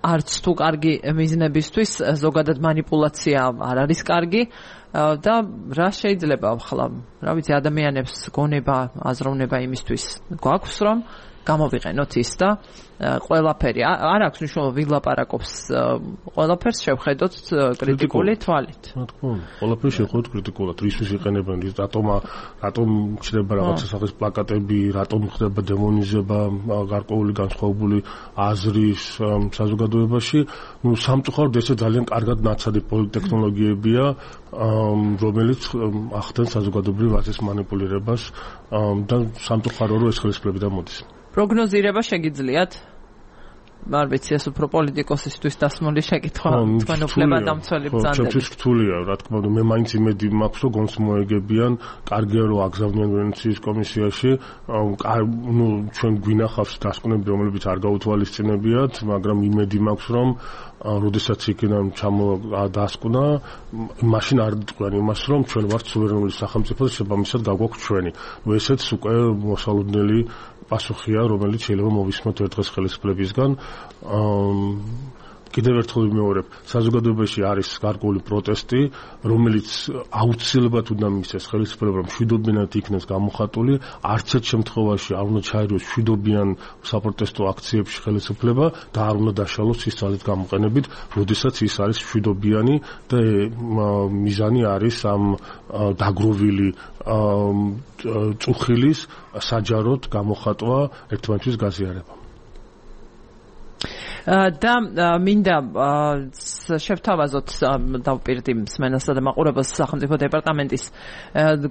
არც თუ კარგი მიზნებისთვის ზოგადად მანიპულაცია არ არის კარგი და რა შეიძლება ახლა, რა ვიცი, ადამიანებს გონება, აზროვნება იმისთვის გვაქვს, რომ გამოვიყენოთ ის და ყველაფერი არ აქვს მნიშვნელობა ვილაპარაკობს ყველაფერს შევხედოთ კრიტიკული თვალით. რა თქმა უნდა, ყველაფერს შევხედოთ კრიტიკულად. რისთვის იყენებენ ის რატომ ჩნდება რაღაცა სახის პლაკატები, რატომ ხდება დემონიზება გარკვეული განსხვავებული აზრის საზოგადოებაში. სამწუხაროდ ესე ძალიან კარგად ნაცადი პოლიტექნოლოგიებია, რომელიც ახდენს საზოგადოებრივ აზრის მანიპულირებას და სამწუხარო რომ ეს ხელისუფლებიდან მოდის. პროგნოზირება შეგიძლიათ? არ ვიცი, ეს უფრო პოლიტიკოსისთვის დასმული შეკითხვა, თქვენ უფლებადამცველი ბრძანდება. ჩემთვის რთულია, რა თქმა უნდა, მე მაინც იმედი მაქვს, რომ გონს მოეგებიან, კარგია რომ აგზავნიან ვენეციის კომისიაში, ჩვენ გვინახავს დასკვნები, რომლებიც არ გაუთვალისწინებიათ, მაგრამ იმედი მაქვს, რომ როდესაც იქიდან ჩამოდასკვნა, მაშინ არ დიყვიან იმას, რომ ჩვენ ვართ სუვერენული სახელმწიფო და შესაბამისად გაგვაქვს ჩვენი. ესეც უკვე მოსალოდნელი პასუხია, რომელიც შეიძლება მოვისმოთ ერთ დღეს ხელისუფლებისგან. კიდევ ერთხელ ვიმეორებ, საზოგადოებაში არის გარკვეული პროტესტი, რომელიც აუცილებლად უნდა მისცეს ხელისუფლება, რომ მშვიდობიანად იქნეს გამოხატული, არც ერთ შემთხვევაში არ უნდა ჩაერევოს მშვიდობიან საპროტესტო აქციებში ხელისუფლება და არ უნდა დაშალოს ის ძალის გამოყენებით, როდესაც ის არის მშვიდობიანი და მიზანი არის ამ დაგროვილი წუხილის საჯაროდ გამოხატვა ერთმანეთის გაზიარება. და მინდა შევთავაზოთ დავპირდი მსმენელსა და მაყურებელს სახელმწიფო დეპარტამენტის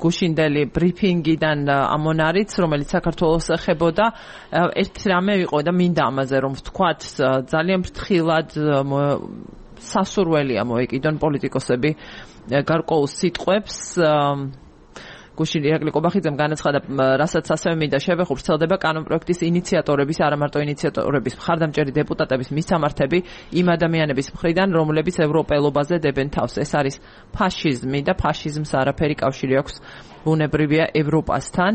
გუშინდელი ბრიფინგიდან ამონარიც, რომელიც საქართველოს ეხებოდა. ერთი რამე იყო და მინდა ამაზე რომ ვთქვათ, ძალიან ფრთხილად სასურველია მოეკიდონ პოლიტიკოსები გარკვეულ სიტყვებს. გუშინ ირაკლი კობახიძემ განაცხადა, რასაც ასევე მინდა შევეხო, ვრცელდება კანონპროექტის ინიციატორების, არა მარტო ინიციატორების, მხარდამჭერი დეპუტატების მისამართები იმ ადამიანების მხრიდან, რომლებიც ევროპელობაზე დებენ თავს. ეს არის ფაშიზმი და ფაშიზმს არაფერი კავშირი აქვს ბუნებრივია ევროპასთან.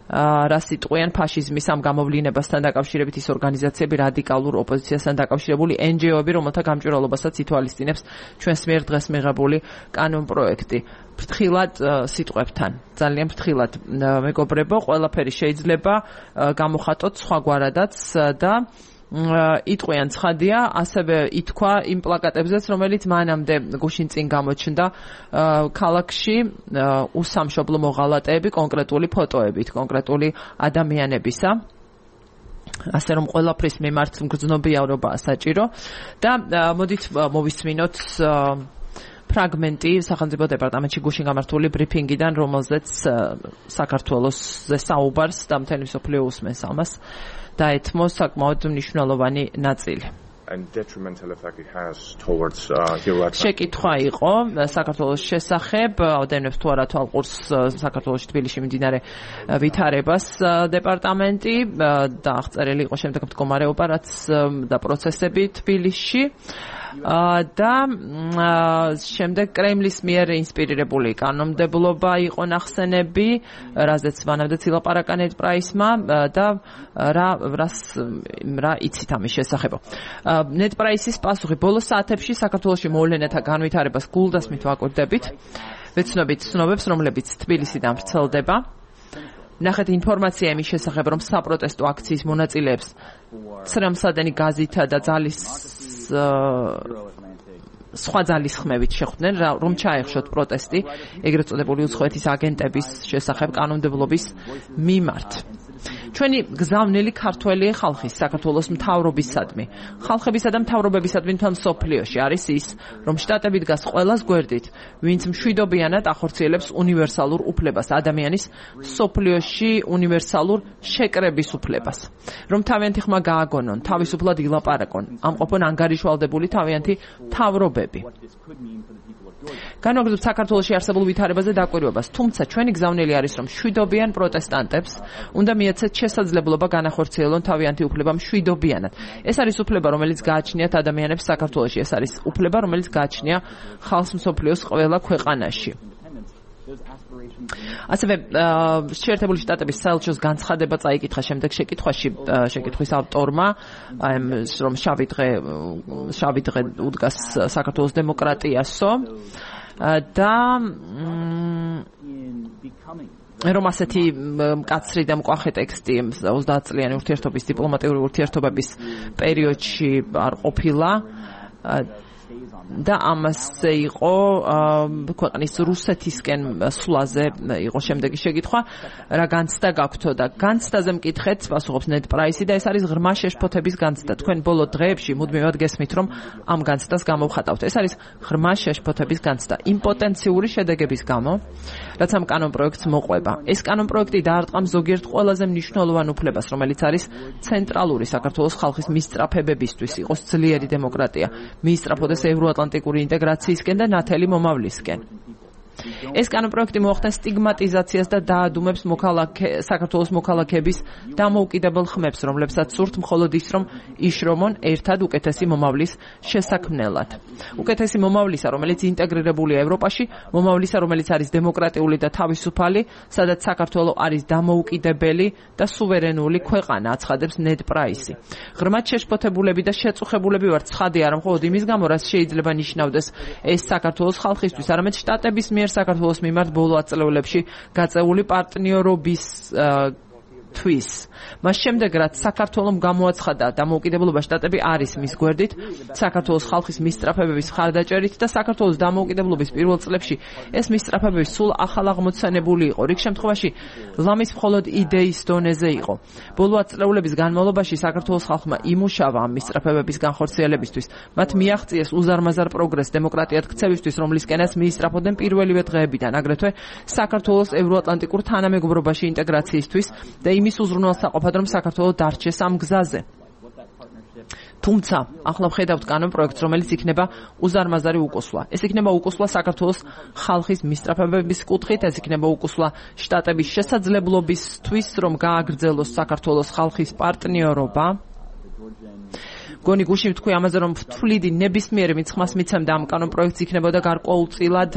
რა სიტყვიან ფაშიზმის ამ გამოვლინებასთან დაკავშირებით ის ორგანიზაციები, რადიკალურ ოპოზიციასთან დაკავშირებული NGO-ები, რომელთა გამჭვირვალობასაც ითვალისწინებს ჩვენს მიერ დღეს მიღებული კანონპროექტი. ფრთხილად სიტყვებთან, ძალიან ფრთხილად მეგობრებო, ყველაფერი შეიძლება გამოხატოთ სხვაგვარადაც და იტყვიან ცხადია, ასევე ითქვა იმ პლაკატებზეც, რომელიც მანამდე გუშინ წინ გამოჩნდა ქალაქში უსამშობლო მოღალატეები, კონკრეტული ფოტოებით, კონკრეტული ადამიანებისა. ასე რომ ყველაფრის მიმართ მგრძნობიარობაა საჭირო და მოდით მოვისმინოთ ფრაგმენტი სახელმწიფო დეპარტამენტში გუშინ გამართული ბრიფინგიდან, რომელზეც საქართველოსზე საუბარს და მთელი მსოფლიო უსმენს ამას. დაეთმო საკმაოდ მნიშვნელოვანი ნაწილი. შეკითხვა იყო საქართველოს შესახებ, ავდენებს თუ არა თვალყურს საქართველოში თბილისში მიმდინარე ვითარებას დეპარტამენტი და აღწერილი იყო შემდეგ მდგომარეობა და პროცესები თბილისში. და შემდეგ კრემლის მიერ ინსპირირებული კანონმდებლობა იყო ნახსენები, რაზეც მანამდე ცილაპარაკა ნეტპრაისმა და რა იცით ამის შესახებ. ნეტპრაისის პასუხი ბოლო საათებში საქართველოში მოვლენათა განვითარებას გულდასმით ვაკვირდებით. ვეცნობით ცნობებს, რომლებიც თბილისიდან ვრცელდება. ნახეთ ინფორმაცია იმის შესახებ, რომ საპროტესტო აქციის მონაწილეებს ცრემლსადენი გაზითა და სხვა ძალისხმევით შეხვდნენ, რომ ჩაეხშოთ პროტესტი ეგრეთ წოდებული უცხოეთის აგენტების შესახებ კანონმდებლობის მიმართ. ჩვენი გზავნილი ქართველი ხალხის საქართველოს მთავრობისადმი, ხალხებისა და მთავრობებისადმი მთელ მსოფლიოში არის ის, რომ შტატები დგას ყველას გვერდით, ვინც მშვიდობიანად ახორციელებს უნივერსალურ უფლებას, ადამიანის მსოფლიოში უნივერსალურ შეკრების უფლებას. რომ თავიანთი ხმა გააგონონ, თავისუფლად ილაპარაკონ, ამყოფონ ანგარიშვალდებული თავიანთი მთავრობები. განვაგრძობთ საქართველოში არსებულ ვითარებაზე დაკვირვებას, თუმცა ჩვენი გზავნილი არის, რომ მშვიდობიან პროტესტანტებს უნდა მიეცეთ შესაძლებლობა განახორციელონ თავიანთი უფლება მშვიდობიანად. ეს არის უფლება, რომელიც გააჩნიათ ადამიანებს საქართველოში, ეს არის უფლება, რომელიც გააჩნია ხალხს მსოფლიოს ყველა ქვეყანაში. ასევე შეერთებული შტატების საელჩოს განცხადება წაიკითხა შემდეგ შეკითხვის ავტორმა, რომ შავი დღე უდგას საქართველოს დემოკრატიასო და რომ ასეთი მკაცრი და მკვახე ტექსტი 30 წლიანი ურთიერთობის დიპლომატიური ურთიერთობების პერიოდში არ ყოფილა და ამასზე იყო ქვეყნის რუსეთისკენ სვლაზე იყო შემდეგი შეკითხვა, რა განცდა გაქვთო და განცდაზე მკითხეთ, პასუხობს ნეტპრაისი და ეს არის ღრმა შეშფოთების განცდა. თქვენ ბოლო დღეებში მუდმივად გესმით, რომ ამ განცდას გამოვხატავთ. ეს არის ღრმა შეშფოთების განცდა იმპოტენციური შედეგების გამო, რაც ამ კანონპროექტს მოყვება. ეს კანონპროექტი დაარტყამ ზოგიერთ ყველაზე მნიშვნელოვან უფლებას, რომელიც არის ცენტრალური საქართველოს ხალხის მისწრაფებებისთვის, იყოს ძლიერი დემოკრატია, მიისწრაფოდეს ევროატლანტიკური ინტეგრაციისკენ და ნათელი მომავლისკენ. ეს კანონპროექტი მოახდენს სტიგმატიზაციას და დაადუმებს საქართველოს მოქალაქეების დამოუკიდებელ ხმებს, რომლებსაც სურთ მხოლოდ ის, რომ იშრომონ ერთად უკეთესი მომავლის შესაქმნელად. უკეთესი მომავლისა, რომელიც ინტეგრირებულია ევროპაში, მომავლისა, რომელიც არის დემოკრატიული და თავისუფალი, სადაც საქართველო არის დამოუკიდებელი და სუვერენული ქვეყანა, აცხადებს ნეტპრაისი. ღრმად შეშფოთებულები და შეწუხებულები ვართ, ცხადია, რომ მხოლოდ იმის გამო, რაც შეიძლება ნიშნავდეს ეს საქართველოს ხალხისთვის, არამედ შტატების მიერ საქართველოს მიმართ ბოლო ათწლეულებში გაწეული პარტნიორობის თვის. მას შემდეგ რაც საქართველოს გამოაცხადა დამოუკიდებლობა შტატები არის მის გვერდით, საქართველოს ხალხის მისწრაფებების მხარდაჭერით და საქართველოს დამოუკიდებლობის პირველ წლებში ეს მისწრაფებები სულ ახალ აღმოცენებული იყო. რიგ შემთხვევაში ლამის მხოლოდ იდეის დონეზე იყო. ბოლო ათწლეულების განმავლობაში საქართველოს ხალხმა იმუშავა ამ მისწრაფებების განხორციელებისთვის. მათ მიაღწიეს უზარმაზარ პროგრესს დემოკრატიად ქცევისთვის, რომლისკენაც მიისწრაფოდნენ პირველივე დღეებიდან, აგრეთვე საქართველოს ევროატლანტიკურ თანამეგობრობაში ინტეგრაციისთვის და იმის უზრუნველსაყოფად, რომ საქართველოს დარჩეს ამ გზაზე. თუმცა, ახლა ვხედავთ კანონპროექტს, რომელიც იქნება უზარმაზარი უკუსლა. ეს იქნება უკუსლა საქართველოს ხალხის მისწრაფებების კუთხით, ეს იქნება უკუსლა შტატების შესაძლებლობისთვის, რომ გააგრძელოს საქართველოს ხალხის პარტნიორობა. გონი გუშინ თქვი ამაზე, რომ თვლიდი ნებისმიერი მიცხმას მიცემდა ამ კანონპროექტს იქნებოდა გარკვეულწილად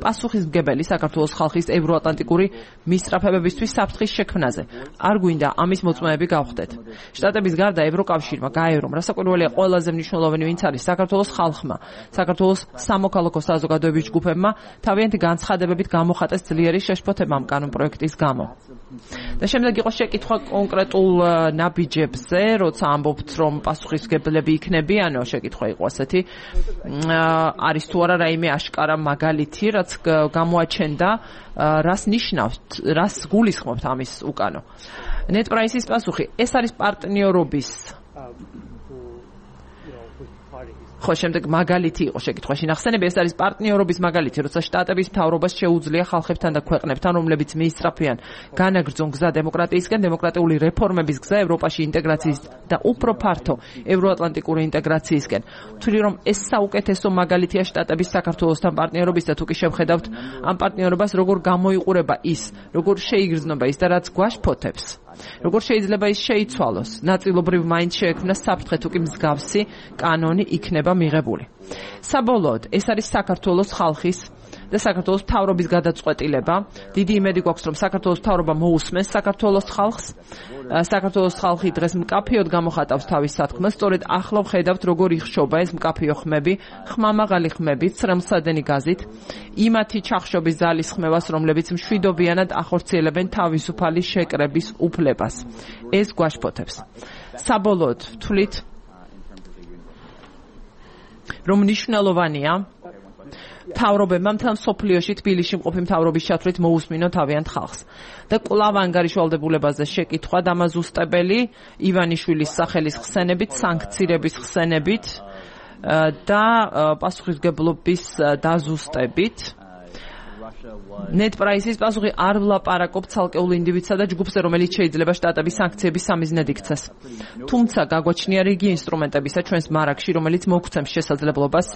პასუხისმგებელი საქართველოს ხალხის ევროატლანტიკური მისწრაფებებისთვის საფრთხის შექმნაზე. არ გვინდა ამის მოწმეები გავხდეთ. შტატების გარდა ევროკავშირმა გაერო, რომ რასაკვირველია ყველაზე მნიშვნელოვანი ვინც არის საქართველოს ხალხმა, საქართველოს სამოქალაქო საზოგადოების ჯგუფებმა თავიანთი განცხადებებით გამოხატეს ძლიერი შეშფოთება ამ კანონპროექტის გამო. და შემდეგ იყო შეკითხვა კონკრეტულ ნაბიჯებზე, როცა ამბობთ, რომ პასუხისმგებლები იქნებიანო, შეკითხვა იყო ასეთი, არის თუ არა რაიმე აშკარა მაგალითი, რაც გამოაჩენდა, რას ნიშნავს, რას გულისხმობთ ამის უკანო. ნეტპრაისის პასუხი, ეს არის პარტნიორობის ხო, შემდეგ მაგალითი იყო შეკითხვაში ნახსენები, ეს არის პარტნიორობის მაგალითი, როცა შტატების მთავრობას შეუძლია ხალხებთან და ქვეყნებთან, რომლებიც მიისწრაფიან განაგრძონ გზა დემოკრატიისკენ, დემოკრატიული რეფორმების გზა ევროპაში ინტეგრაციის და უფრო ფართო ევროატლანტიკური ინტეგრაციისკენ. ვთვლი, რომ ეს საუკეთესო მაგალითია შტატების საქართველოსთან პარტნიორობის და თუ კი შევხედავთ ამ პარტნიორობას, როგორ გამოიყურება ის, როგორ შეიგრძნობა ის და რაც გვაშფოთებს. როგორ შეიძლება ის შეიცვალოს? ნაწილობრივ მაინც შეექმნა საფრთხე, თუ კი მსგავსი კანონი იქნება მიღებული. საბოლოოდ, ეს არის საქართველოს ხალხის და საქართველოს მთავრობის გადაწყვეტილება. დიდი იმედი გვაქვს, რომ საქართველოს მთავრობა მოусმენს საქართველოს ხალხს. საქართველოს ხალხი დღეს მკაფიოდ გამოხატავს თავის სათქმელს, სწორედ ახლა ვხედავთ, როგორ იხშობა ეს მკაფიო ხმები, ხმამაღალი ხმები, ცრემლსადენი გაზით, იმათი ჩახშობის ძალის ხმევას, რომლებიც მშვიდობიანად ახორციელებენ თავისუფალი შეკრების უფლებას. ეს გვაშფოთებს. საბოლოოდ ვთვლით, რომ მნიშვნელოვანია მთავრობებმა მთელ მსოფლიოში თბილისში მყოფი მთავრობის ჩათვლით მოусმინონ თავიანთ ხალხს. და კვლავ ანგარიშვალდებულებაზე შეკითხვა დამაზუსტებელი ივანიშვილის სახელის ხსენებით, სანქცირების ხსენებით და პასუხისმგებლობის დაზუსტებით. ნეტპრაისის პასუხი არ ვლაპარაკობ ცალკეულ ინდივიდსა და ჯგუფზე, რომელიც შეიძლება შტატების სანქციების სამიზნედ იქცეს. თუმცა გაგვაჩნია რიგი ინსტრუმენტებისა ჩვენს მარაგში, რომელიც მოგცემს შესაძლებლობას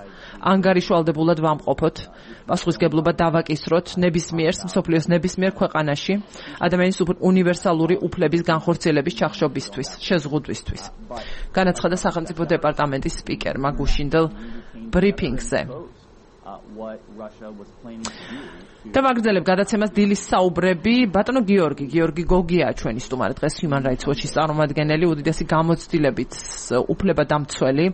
ანგარიშვალდებულად ვამყოფოთ, პასუხისმგებლობა დავაკისროთ ნებისმიერს, მსოფლიოს ნებისმიერ ქვეყანაში ადამიანის უნივერსალური უფლების განხორციელების ჩახშობისთვის, შეზღუდვისთვის. განაცხადა სახელმწიფო დეპარტამენტის სპიკერმა გუშინდელ ბრიფინგზე. და ვაგრძელებ გადაცემას დილის საუბრები. ბატონო გიორგი გოგია ჩვენი სტუმარი დღეს Human Rights Watch-ის წარმომადგენელი, უდიდესი გამოცდილებით უფლებადამცველი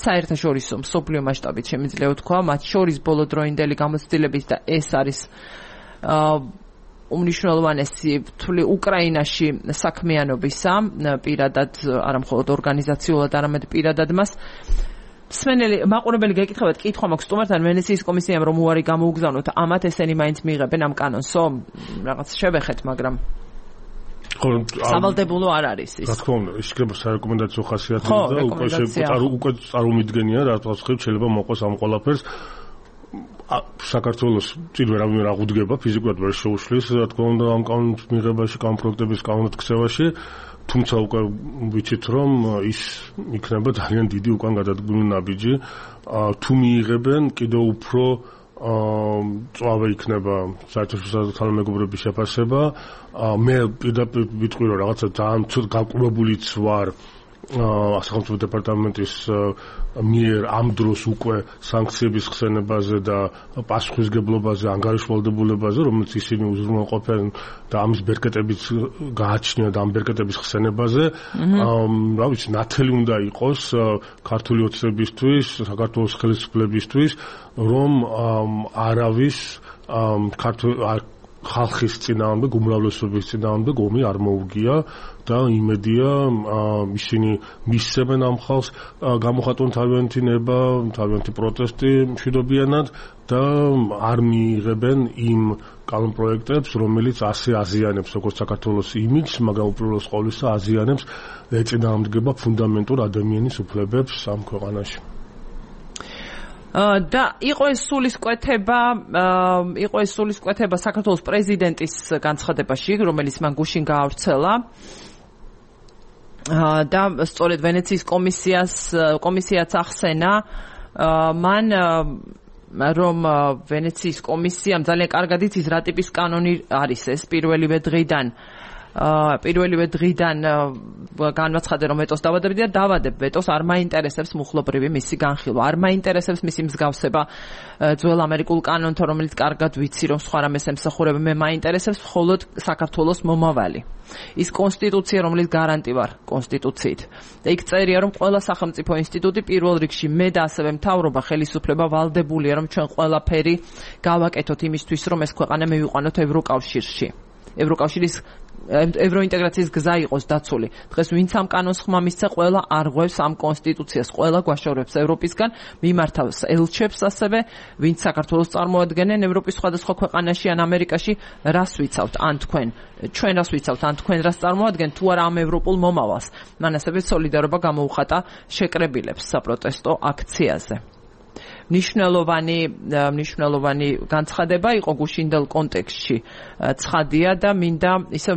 საერთაშორისო მსოფლიო მასშტაბით შემიძლია ვთქვა, მათ შორის ბოლოდროინდელი გამოცდილებით და ეს არის უმნიშვნელოვანესი ვთვლი უკრაინაში საქმიანობისა, პირადად არა მხოლოდ ორგანიზაციულად, არამედ პირადად მას სვენელი მაყურებელი გეკითხებათ, კითხვა მაქვს სტუმართან, ვენეციის კომისიამ რომ უარი გამოუგზავნოთ, ამათ ესენი მაინც მიიღებენ ამ კანონსო, რაღაც შევეხეთ, მაგრამ სავალდებულო არ არის ის. რა თქმა უნდა, ისიქნება სარეკომენდაციო ხასიათი და უკვე წარმომიდგენია, რატომ შეიძლება მოყოს ამ ყველაფერს. საქართველოს წინვე რამე რა გუდგება, ფიზიკურად ვერ შეუშლის, რა თქმა უნდა, ამ კანონის მიღებაში, ამ პროექტების კანონად ქცევაში. თუმცა უკვე ვიცით, რომ ის იქნება ძალიან დიდი უკან გადადგმული ნაბიჯი. თუ მიიღებენ, კიდევ უფრო წვავე იქნება საერთაშორისო თანამეგობრობის შეფასება. მე პირდაპირ ვიტყვი, რომ რაღაცა ძალიან ცუდ გაკვირვებულიც ვარ სახელმწიფო დეპარტამენტის მიერ ამ დროს უკვე სანქციების ხსენებაზე და პასუხისმგებლობაზე, ანგარიშვალდებულებაზე, რომელიც ისინი უზრუნველყოფენ და ამის ბერკეტებიც გააჩნია და ამ ბერკეტების ხსენებაზე. რა ვიცი, ნათელი უნდა იყოს ქართული ოცნებისთვის, საქართველოს ხელისუფლებისთვის, რომ არავის ხალხის წინააღმდეგ, უმრავლესობის წინააღმდეგ ომი არ მოუგია და იმედია ისინი მისცემენ ამ ხალხს გამოხატონ თავიანთი ნება, თავიანთი პროტესტი მშვიდობიანად და არ მიიღებენ იმ კანონპროექტებს, რომელიც ასე აზიანებს როგორც საქართველოს იმიჯს, მაგრამ უპირველეს ყოვლისა აზიანებს ეწინააღმდეგება ფუნდამენტურ ადამიანის უფლებებს ამ ქვეყანაში. და იყო ეს სულისკვეთება საქართველოს პრეზიდენტის განცხადებაში, რომელიც მან გუშინ გაავრცელა და სწორედ ვენეციის კომისიაც ახსენა მან რომ ვენეციის კომისიამ ძალიან კარგად იცის რა ტიპის კანონი არის ეს პირველივე დღიდან განაცხადა რომ ვეტოს დავადებდი და დავადებ ვეტოს არ მაინტერესებს მუხლობრივი მისი განხილვა არ მაინტერესებს მისი მსგავსება ძველ ამერიკულ კანონთან რომელიც კარგად ვიცი რომ სხვა რამეს ემსახურება მე მაინტერესებს მხოლოდ საქართველოს მომავალი ის კონსტიტუცია რომელიც გარანტი ვარ კონსტიტუციით და იქ წერია რომ ყველა სახელმწიფო ინსტიტუტი პირველ რიგში მე და ასევე მთავრობა ხელისუფლება ვალდებულია რომ ჩვენ ყველაფერი გავაკეთოთ იმისთვის რომ ეს ქვეყანა მივიყვანოთ ევროკავშირში ევროკავშირის ევროინტეგრაციის გზა იყოს დაცული. დღეს ვინც ამ კანონს ხმა მისცა, ყველა არღვევს ამ კონსტიტუციას, ყველა გვაშორებს ევროპისგან, მიმართავს ელჩებს ასევე, ვინც საქართველოს წარმოადგენენ ევროპის სხვადასხვა ქვეყანაში ან ამერიკაში, რას ვიცავთ, ან ჩვენ რას ვიცავთ, ან თქვენ რას წარმოადგენთ, თუ არა ამ ევროპულ მომავალს. მან ასევე სოლიდარობა გამოუხატა შეკრებილებს საპროტესტო აქციაზე. მნიშვნელოვანი განცხადება იყო გუშინდელ კონტექსტში ცხადია და მინდა ისევ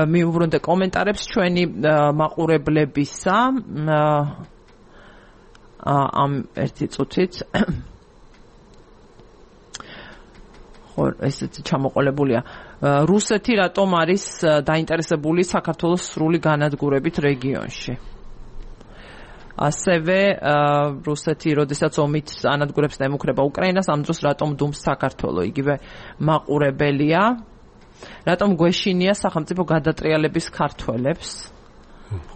მივუბრუნდე კომენტარებს ჩვენი მაყურებლებისა ამ ერთი წუთით ესეთი ჩამოყოლებულია რუსეთი რატომ არის დაინტერესებული საქართველოს სრული განადგურებით რეგიონში ასევე რუსეთი როდესაც ომით ანადგურებს და ემუქრება უკრაინას ამ დროს რატომ დუმს საქართველო იგივე მაყურებელია რატომ გვეშინია სახელმწიფო გადატრიალების ქართველებს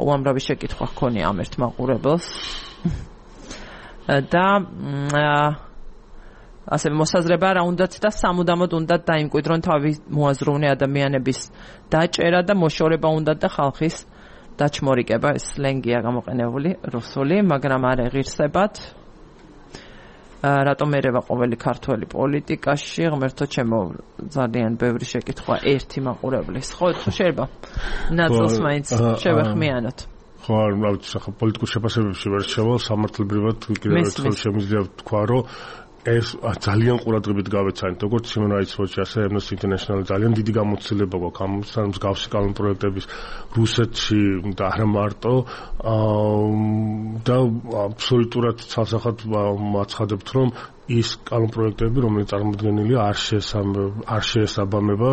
უამრავი შეკითხვა ჰქონია ამ ერთ მაყურებელს და ასევე მოსაზრება რა უნდათ და სამუდამოდ უნდათ დაიმკვიდრონ თავი მოაზროვნე ადამიანების დაჭერა და მოშორება უნდათ და ხალხის დაჩმორიკება ეს სლენგია გამოყენებული რუსული მაგრამ არ ეღირსებათ რატომ ერევა ყოველი ქართველი პოლიტიკაში ღმერთო ჩემო ძალიან ბევრი შეკითხვა ერთი მაყურებლის ხო შეიძლება ნაწილს მაინც შევეხმიანოთ ხო არ ვიცი ახლა პოლიტიკურ შეფასებებში ვერ შევალ სამართლებრივად კიდევ ერთხელ შემიძლია თქვა რომ ეს ძალიან ყურადღებით გავეცანით როგორც Human Rights Watch ასე Amnesty International ძალიან დიდი გამოცდილება გვაქვს ამ მსგავსი კანონპროექტების რუსეთში და არა მარტო და აბსოლუტურად ცალსახად მაცხადებთ რომ ის კანონპროექტები რომელიც წარმოდგენილია არ შეესაბამება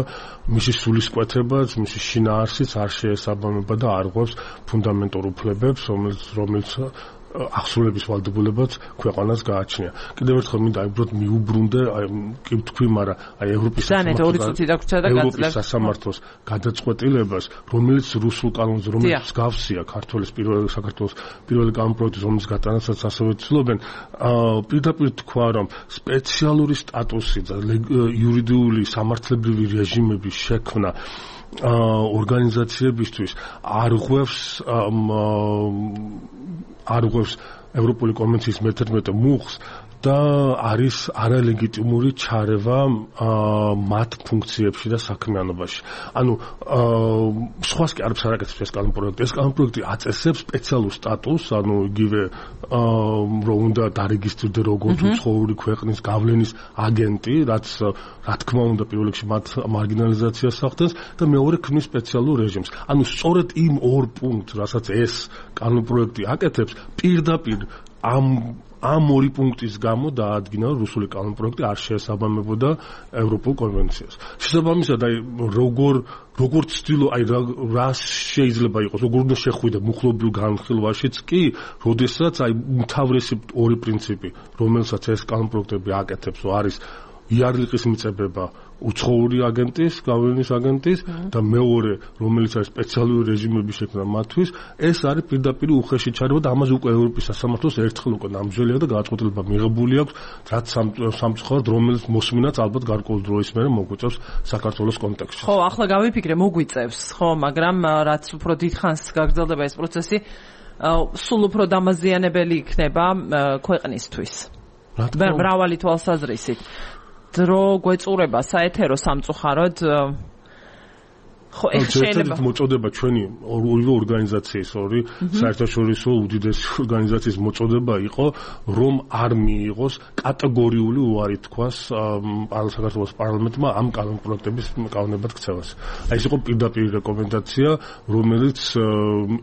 მისი სულისკვეთებას, მისი შინაარსიც არ შეესაბამება და არ ღვევს ფუნდამენტურ უფლებებს რომელიც ახსულების ვალდებულებაც ქვეყანას გააჩნია. კიდევ ერთხელ მინდა უბრალოდ მიუბრუნდე, კი ვთქვი, მაგრამ ევროპის სასამართლოს გადაწყვეტილებას, რომელიც რუსულ კანონზე, რომელიც მსგავსია საქართველოს პირველი კანონპროექტის, რომელიც გატანასაც ასევე ცდილობენ, პირდაპირ თქვა, რომ სპეციალური სტატუსი და იურიდიული სამართლებრივი რეჟიმების შექმნა ორგანიზაციებისთვის არ ღვევს ევროპული კონვენციის მე-11 მუხლს და არის არალეგიტიმური ჩარევა მათ ფუნქციებში და საქმიანობაში. ანუ სხვას კი არც არ აკეთებს ეს კანონპროექტი. ეს კანონპროექტი აწესებს სპეციალურ სტატუსს, ანუ იგივე რომ უნდა დარეგისტრირდე როგორც უცხოური ქვეყნის გავლენის აგენტი, რაც რა თქმა უნდა პირველ რიგში მათ მარგინალიზაციას ახდენს და მეორე ქმნის სპეციალურ რეჟიმს. ანუ სწორედ იმ ორ პუნქტს, რასაც ეს კანონპროექტი აკეთებს, პირდაპირ ამ ორი პუნქტის გამო დაადგინა რუსული კანონპროექტი არ შეესაბამებოდა ევროპულ კონვენციას. შესაბამისად, როგორ ცდილო, რა შეიძლება იყოს, როგორ უნდა შეხვიდე მუხლობრივ განხილვაშიც კი, როდესაც უმთავრესი ორი პრინციპი, რომელსაც ეს კანონპროექტები აკეთებს, არის იარლიყის მიწებება უცხოური აგენტის, გავლენის აგენტის და მეორე, რომელიც არის სპეციალური რეჟიმების შექმნა მათთვის, ეს არის პირდაპირ უხეში ჩარევა და ამაზე უკვე ევროპის სასამართლოს ერთხელ უკვე ნამძველია და გადაწყვეტილება მიღებული აქვს, რაც სამწუხაროდ რომელიც მოსმინაც ალბათ გარკვეულ დროის მერე მოგვიწევს საქართველოს კონტექსტში. ხო, ახლა გავიფიქრე, მოგვიწევს, ხო, მაგრამ რაც უფრო დიდხანს გაგრძელდება ეს პროცესი, სულ უფრო დამაზიანებელი იქნება ქვეყნისთვის. მრავალი თვალსაზრისით. დრო გვეწურება საეთერო სამწუხაროდ ხო შეიძლება მოწოდება ჩვენი ორივე ორგანიზაციის ორი საერთაშორისო უდიდესი ორგანიზაციის მოწოდება იყო რომ არ მიიღოს კატეგორიული უარი თქვას საქართველოს პარლამენტმა ამ კანონპროექტების კანონებად ქცევას. აი ეს იყო პირდაპირ რეკომენდაცია რომელიც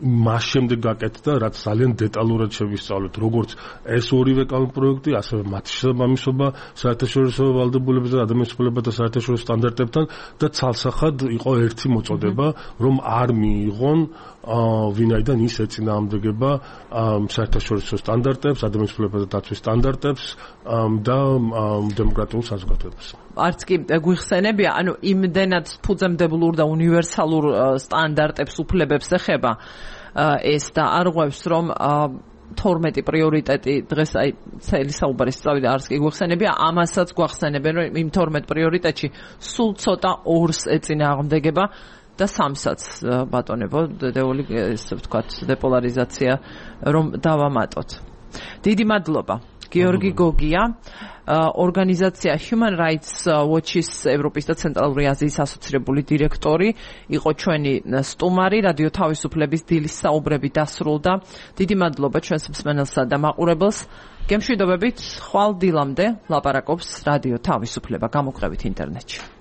მას შემდეგ გაკეთდა რაც ძალიან დეტალურად შევისწავლეთ როგორც ეს ორივე კანონპროექტი ასევე მათი შესაბამისობა საერთაშორისო ვალდებულებებთან და ადამიანის უფლებათა საერთაშორისო სტანდარტებთან და ცალსახად იყო ერთი მოწოდება რომ არ მიიღონ ვინაიდან ის ეწინააღმდეგება საერთაშორისო სტანდარტებს, ადამიანის უფლებათა დაცვის სტანდარტებს და დემოკრატიულ საზოგადოებას. არც კი გვიხსენებია, ანუ იმდენად ფუძემდებლურ და უნივერსალურ სტანდარტებს უფლებებს ეხება ეს და არღვევს რომ 12 პრიორიტეტი დღეს აი ცელი საუბარის წავიდა არც კი გვახსენებია ამასაც გვახსენებენ რომ იმ 12 პრიორიტეტში სულ ცოტა ორს ეწინააღმდეგება და სამსაც ბატონებო დედეული ესე ვთქვათ დეპოლარიზაცია რომ დავამატოთ. დიდი მადლობა. გიორგი გოგია, ორგანიზაცია Human Rights Watch-ის ევროპის და ცენტრალური აზიის ასოცირებული დირექტორი, იყო ჩვენი სტუმარი, რადიო თავისუფლების დილის საუბრები დასრულდა. დიდი მადლობა ჩვენს მსმენელსა და მაყურებელს. გემშვიდობებით, ხვალ დილამდე ლაპარაკობს რადიო თავისუფლება, გამოყრებით ინტერნეტში.